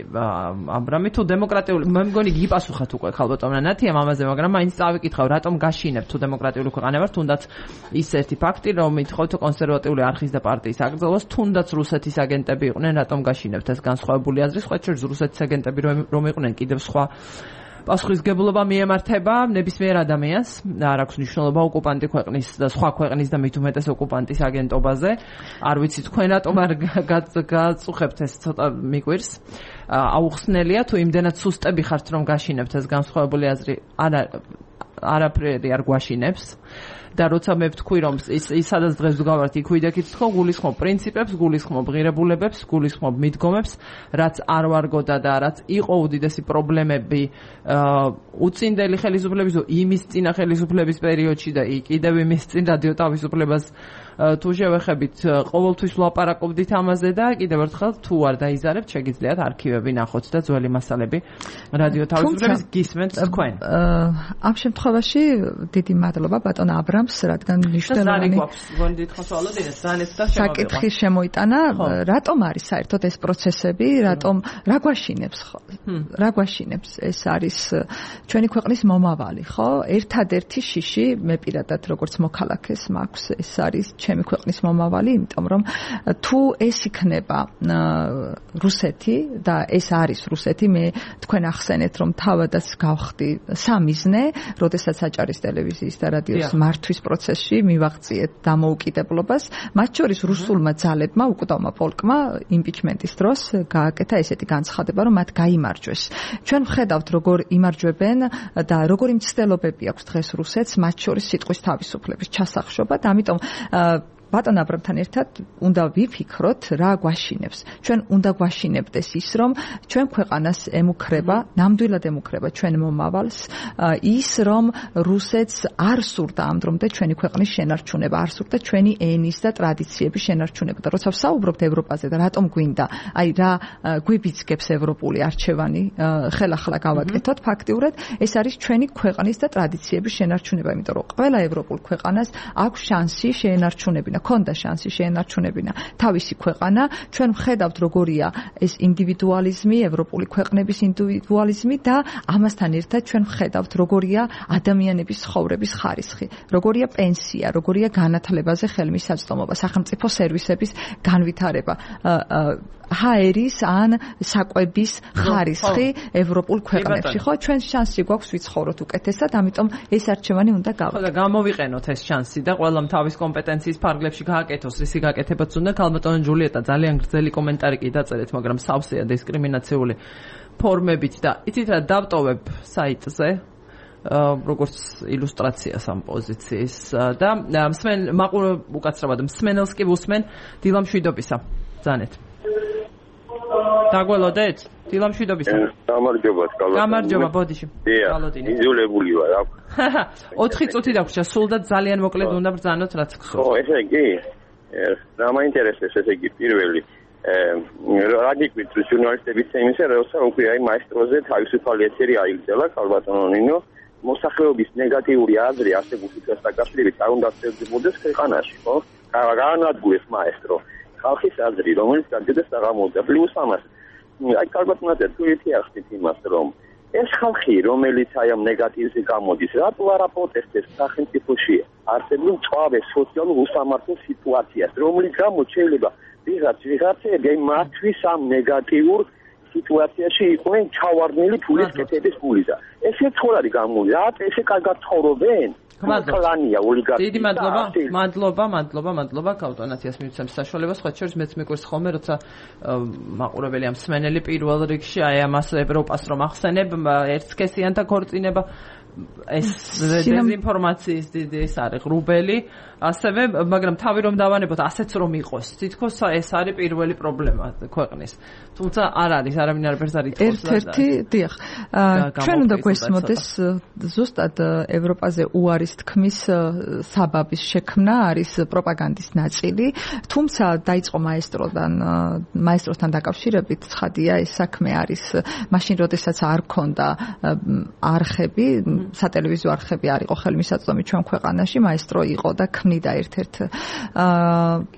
A: აბრამი თუ დემოკრატიული, მე მგონი გიპასუხათ უკვე ხალბატონმა ნათიამ ამაზე, მაგრამ მაინც წავიკითხავ, რატომ გაშინებთ თუ დემოკრატიული ქვეყანა ვართ, თუნდაც ის ერთი ფაქტი, რომ ითხოვთ კონსერვატიული არხის და პარტიის აკრძალვას, თუნდაც რუსეთის აგენტები იყვნენ, რატომ გაშინებთ ეს განსხვავებული აზრი, სხვა შორის რუსეთის აგენტები რომ იყვნენ კიდევ სხვა პასუხისგებლობა მიემართება ნებისმიერ ადამიანს, არ აქვს მნიშვნელობა ოკუპანტი ქვეყნის და სხვა ქვეყნის და მით უმეტეს ოკუპანტის აგენტობაზე. არ ვიცი თქვენ რატომ არ გაწუხებთ ეს, ცოტა მიკვირს. აუხსნელია თუ იმდენად სუსტები ხართ, რომ გაშინებთ ეს განსხვავებული აზრი, არაფერი არ გვაშინებს. და როცა მე ვთქვი, რომ ის სადაც დღეს ვდგავართ, იქ ვიდექით ხო, გულისხმობ პრინციპებს, გულისხმობ ღირებულებებს, გულისხმობ მიდგომებს, რაც არ ვარგოდა და რაც იყო უდიდესი პრობლემები უწინდელი ხელისუფლების, იმის წინა ხელისუფლების პერიოდში და კიდევ იმის წინ რადიო თავისუფლებას თუ შევეხებით, ყოველთვის ვლაპარაკობდით ამაზე და კიდევ ერთხელ თუ არ დაიზარებთ, შეგიძლიათ არქივები ნახოთ და ძველი მასალები რადიო თავისუფლების გისმენთ თქვენ.
F: ამ შემთხვევაში დიდი მადლობა ბატონ აბრამს, რადგან მნიშვნელოვანი საკითხი შემოიტანა, რატომ არის საერთოდ ეს პროცესები, რა გვაშინებს ეს არის ჩვენი ქვეყნის მომავალი, ხო? ერთადერთი შიში, მე პირადად როგორც მოქალაქეს მაქვს, ეს არის ჩემი ქვეყნის მომავალი, იმიტომ რომ თუ ეს იქნება რუსეთი და ეს არის რუსეთი, მე თქვენ ახსენეთ, რომ თავადაც გავხდი სამიზნე, როდესაც აჭარის ტელევიზიის და რადიოს მართვის პროცესში მივაღწიეთ დამოუკიდებლობას, მათ შორის რუსულმა ძალებმა, უკვდავმა პოლკმა იმპიჩმენტის დროს გააკეთა ესეთი განცხადება, რომ მათ გაიმარჯვეს. ჩვენ ვხედავთ, როგორ იმარჯვებენ და როგორი მცდელობები აქვს დღეს რუსეთს, მათ შორის სიტყვის თავისუფლების ჩასახშობა და ამიტომ ბატონ აბრამთან ერთად უნდა ვიფიქროთ რა გვაშინებს. ჩვენ უნდა გვაშინებდეს ის, რომ ჩვენ ქვეყანას ემუქრება, ნამდვილად ემუქრება ჩვენ მომავალს, ის რომ რუსეთს არ სურდა ამ დრომდე ჩვენი ქვეყნის შენარჩუნება, არ სურდა ჩვენი ენის და ტრადიციების შენარჩუნება. და როცა ვსაუბრობთ ევროპაზე და რატომ გვინდა, აი რა გვიბიძგებს ევროპული არჩევანი ხელახლა გავაკეთოთ, ფაქტიურად ეს არის ჩვენი ქვეყნის და ტრადიციების შენარჩუნება, იმიტომ რომ ყველა ევროპულ ქვეყანას აქვს შანსი შეენარჩუნებინა, ქონდა შანსი შეენარჩუნებინა თავისი ქვეყანა. ჩვენ ვხედავთ როგორია ეს ინდივიდუალიზმი, ევროპული ქვეყნების ინდივიდუალიზმი და ამასთან ერთად ჩვენ ვხედავთ როგორია ადამიანების ცხოვრების ხარისხი, როგორია პენსია, როგორია განათლებაზე ხელმისაწვდომობა, სახელმწიფო სერვისების განვითარება, ჰაერის ან საკვების ხარისხი ევროპულ ქვეყნებში. ხო, ჩვენ შანსი გვაქვს ვიცხოვროთ უკეთესად, ამიტომ ეს არჩევანი უნდა გავაკეთოთ.
A: და გამოვიყენოთ ეს შანსი და ყველამ თავის კომპეტენციის ფარგლებში გააკეთოს, რისი გაკეთებაც უნდა. ქალბატონო ჯულიეტა, ძალიან გრძელი კომენტარი კი დაწერეთ, მაგრამ სავსეა დისკრიმინაციული ფორმებით და იცით რა დავტოვებ საიტზე როგორც ილუსტრაციას ამ პოზიციის და უკაცრავად მსმენელს კი უსმენ დილამშვიდობისა. ბრძანეთ. დაგველოდეთ? დილამშვიდობისა.
G: გამარჯობა, კალოდინი.
A: გამარჯობა, ბოდიში.
G: კალოდინი. იძულებული ვარ.
A: 4 წუთი დაგვრჩა, სულ და ძალიან მოკლედ უნდა ბრძანოთ, რაც გსურთ.
G: ხო, ესე იგი, რა მაინტერესებს, ესე იგი, პირველი რა გიკვირთ ჟურნალისტების თემისა, როცა უკვე აი მაესტროზე თავისუფალი ეთერი აიგრძელა, ქალბატონო ნინო, მოსახლეობის ნეგატიური აზრი არსებულ სიტუაციას დაკავშირებით არ უნდა შეძლებოდეს ქვეყანაში, ხო? გაანადგურეს მაესტრო ხალხის აზრი, რომელიც გაგდეს აღამოვიდა. პლუს ამას, აი ქალბატონო, თუ ითიახით იმას, რომ ეს ხალხი, რომელიც აი ამ ნეგატივზე გამოდის, რატო არა პროტესტებს სახელმწიფოში არსებულ მწვავე სოციალურ უსამართლო სიტუაციას, რომლის გამოც შეიძლება ვიღაცები მათთვის ამ ნეგატიურ სიტუაციაში იყვნენ ჩავარდნილი ფულის კეთების ფულისა. ეს ერთხელ არის გამოდი, რა ესე კარგად ცხოვრობენ? კლანია ოლიგარქია.
A: დიდი მადლობა კავტონაციას მივცემ საშუალებას, სხვა შორის მეც მიყვარს ხოლმე, როცა მაყურებელი ამ მსმენელი პირველ რიგში აი ამას ევროპას რომ ახსენებ, ერთსქესიანთა ქორწინება ეს დეзинფორმაციის დიდი ეს არის ღრუბელი, ასევე მაგრამ თავი რომ დავანებოთ ასეც რომ იყოს, თითქოს ეს არის პირველი პრობლემა ქვეყნის. თუმცა არ არის, არავინ არაფერს არ ითხოვს.
F: ერთ-ერთი, დიახ. ჩვენ უნდა გვესმოდეს ზუსტად ევროპაზე უარის თქმის საბაბის შექმნა არის პროპაგანდის ნაწილი, თუმცა დაიწყო მაესტროსთან დაკავშირებით ცხადია ეს საქმე არის მაშინ როდესაც არ ქონდა არხები, სატელევიზიო არხები არ იყო ხელმისაწვდომი ჩვენ ქვეყანაში, მაესტრო იყო და ქმნიდა ერთ-ერთ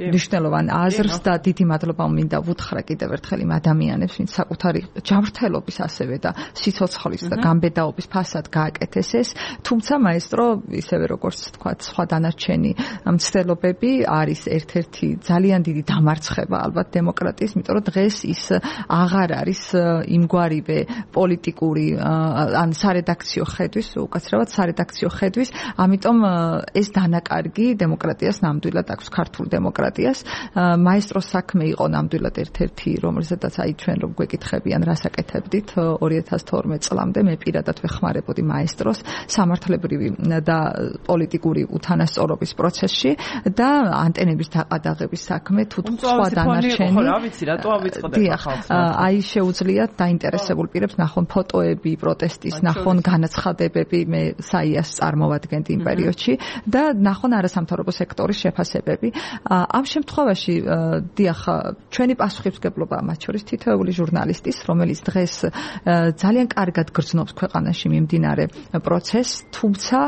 F: მნიშვნელოვან აზრს და დიდი მადლობა მინდა ვუთხრა კიდევ ერთხელ იმ ადამიანებს, ვინც საკუთარი ჯანმრთელობის ასევე და სიცოცხლის და გამბედაობის ფასად გააკეთეს ეს, თუმცა მაესტრო ისევე როგორც თქვათ სხვა დანარჩენი მცდელობები არის ერთ-ერთი ძალიან დიდი დამარცხება ალბათ დემოკრატიის, იმიტომ რომ დღეს ის აღარ არის იმგვარივე პოლიტიკური ან სარედაქციო ხედვის, უკაცრავად სარედაქციო ხედვის, ამიტომ ეს დანაკარგი დემოკრატიას ნამდვილად აქვს, ქართულ დემოკრატიას. მაესტროს საქმე იყო ნამდვილად ერთ-ერთი, რომელზედაც აი ჩვენ რომ გვეკითხებიან, რას აკეთებდით 2012 წლამდე, მე პირადად ვეხმარებოდი მაესტროს სამართლებრივი და პოლიტიკური უთანასწორობის პროცესში და ანტენების დაყადაღების საქმე თუ სხვა დანარჩენი.
A: ხო, რა ვიცი, რატო ავიწყდება ხალხს?
F: აი შეუძლიათ დაინტერესებულ პირებს ნახონ ფოტოები პროტესტის, ნახონ განაცხადებები, მე საიას წარმოვადგენდი იმ პერიოდში და ნახონ არასამთავრობო სექტორის შეფასებები. ამ შემთხვევაში დიახ, ჩვენი პასუხისმგებლობა მათ შორის თითოეული ჟურნალისტის, რომელიც დღეს ძალიან კარგად გრძნობს ქვეყანაში მიმდინარე პროცესს, თუმცა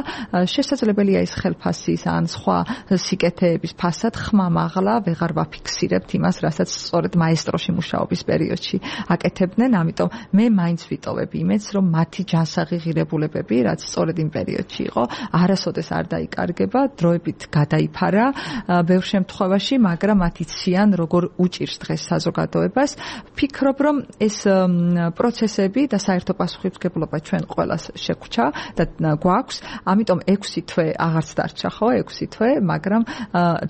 F: შესაძლებელია ის ხელფასის ან სხვა სიკეთეების ფასად ხმამაღლა ვეღარ ვაფიქსირებთ იმას, რასაც სწორედ მაესტროში მუშაობის პერიოდში აკეთებდნენ, ამიტომ მე მაინც ვიტოვებ იმედს, რომ მათი ჯანსაღი ღირებულებები, რაც სწორედ იმ პერიოდში იყო, არასოდეს არ დაიკარგება, დროებით გადაიფარა ბევრ შემთხვევაში, მაგრამ მათ იციან როგორ უჭირს დღეს საზოგადოებას. ვფიქრობ, რომ ეს პროცესები და საერთო პასუხისმგებლობა ჩვენ ყველას შეგვჭა და გვაქვს, ამიტომ 6 თვე აღარც დარჩა, ხო, 6 თვე, მაგრამ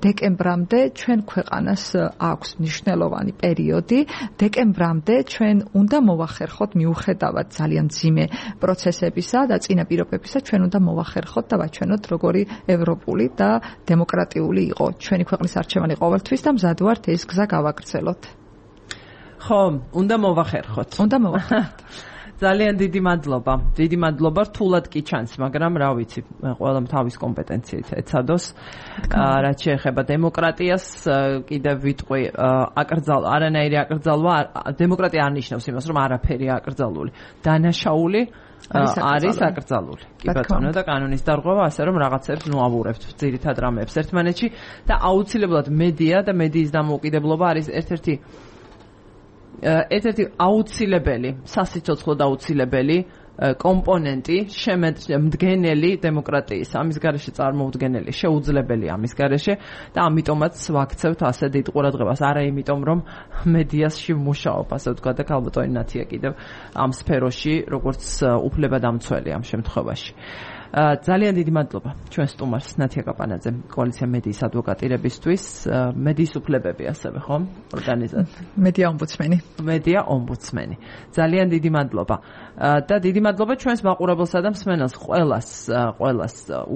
F: დეკემბრამდე ჩვენ ქვეყანას აქვს მნიშვნელოვანი პერიოდი. დეკემბრამდე ჩვენ უნდა მოვახერხოთ მიუხედავად ძალიან მძიმე პროცესებისა და წინა წინაპირობებისა ჩვენ უნდა მოვახერხოთ და ვაჩვენოთ როგორი ევროპული და დემოკრატიული იყო ჩვენი ქვეყნის არჩევანი ყოველთვის და მზად ვართ ეს გზა გავაგრძელოთ.
A: ხო, უნდა მოვახერხოთ.
F: უნდა მოვახერხოთ.
A: ძალიან დიდი მადლობა. დიდი მადლობა რთულად კი ჩანს, მაგრამ რა ვიცი, ყველამ თავის კომპეტენციით ეცადოს. რაც შეეხება დემოკრატიას, კიდევ ვიტყვი, არანაირი აკრძალვა, დემოკრატია არ ნიშნავს იმას, რომ არაფერი აკრძალული. დანაშაული არის აკრძალული. კი ბატონო და კანონის დარღვევა ასე რომ რაღაცებს ნუავურებთ ძირითად რამეებს ერთმანეთში და აუცილებლად მედია და მედიის დამოუკიდებლობა არის ერთ-ერთი აუცილებელი, სასიცოცხლო და აუცილებელი კომპონენტი შემდგენელი დემოკრატიის, ამის გარეშე წარმოუდგენელი, შეუძლებელი ამის გარეშე და ამიტომაც ვაქცევთ ასე დიდ ყურადღებას, არა იმიტომ რომ მედიაში ვმუშაობ, ასე ვთქვა და ქალბატონი ნათია კიდევ ამ სფეროში, როგორც უფლებადამცველი ამ შემთხვევაში. ძალიან დიდი მადლობა ჩვენ სტუმარს ნათია კაპანაძემ კოალიცია მედიის ადვოკატირებისთვის მედიის უფლებები ასევე ხო ორგანიზაცია მედია ომბუდსმენი ძალიან დიდი მადლობა და დიდი მადლობა ჩვენს მაყურებელსა და მსმენელს ყველას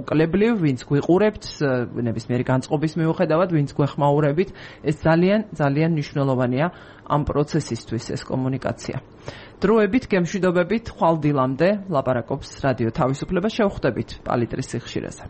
A: უკლებლივ ვინც გვიყურებთ ნებისმიერი განწყობის მიუხედავად ვინც გვეხმაურებით ეს ძალიან მნიშვნელოვანია ამ პროცესისთვის ეს კომუნიკაცია დროებით გემშვიდობებით ხვალ დილამდე ლაპარაკობს რადიო თავისუფლება შევხვდებით პალიტრის სიხშირეზე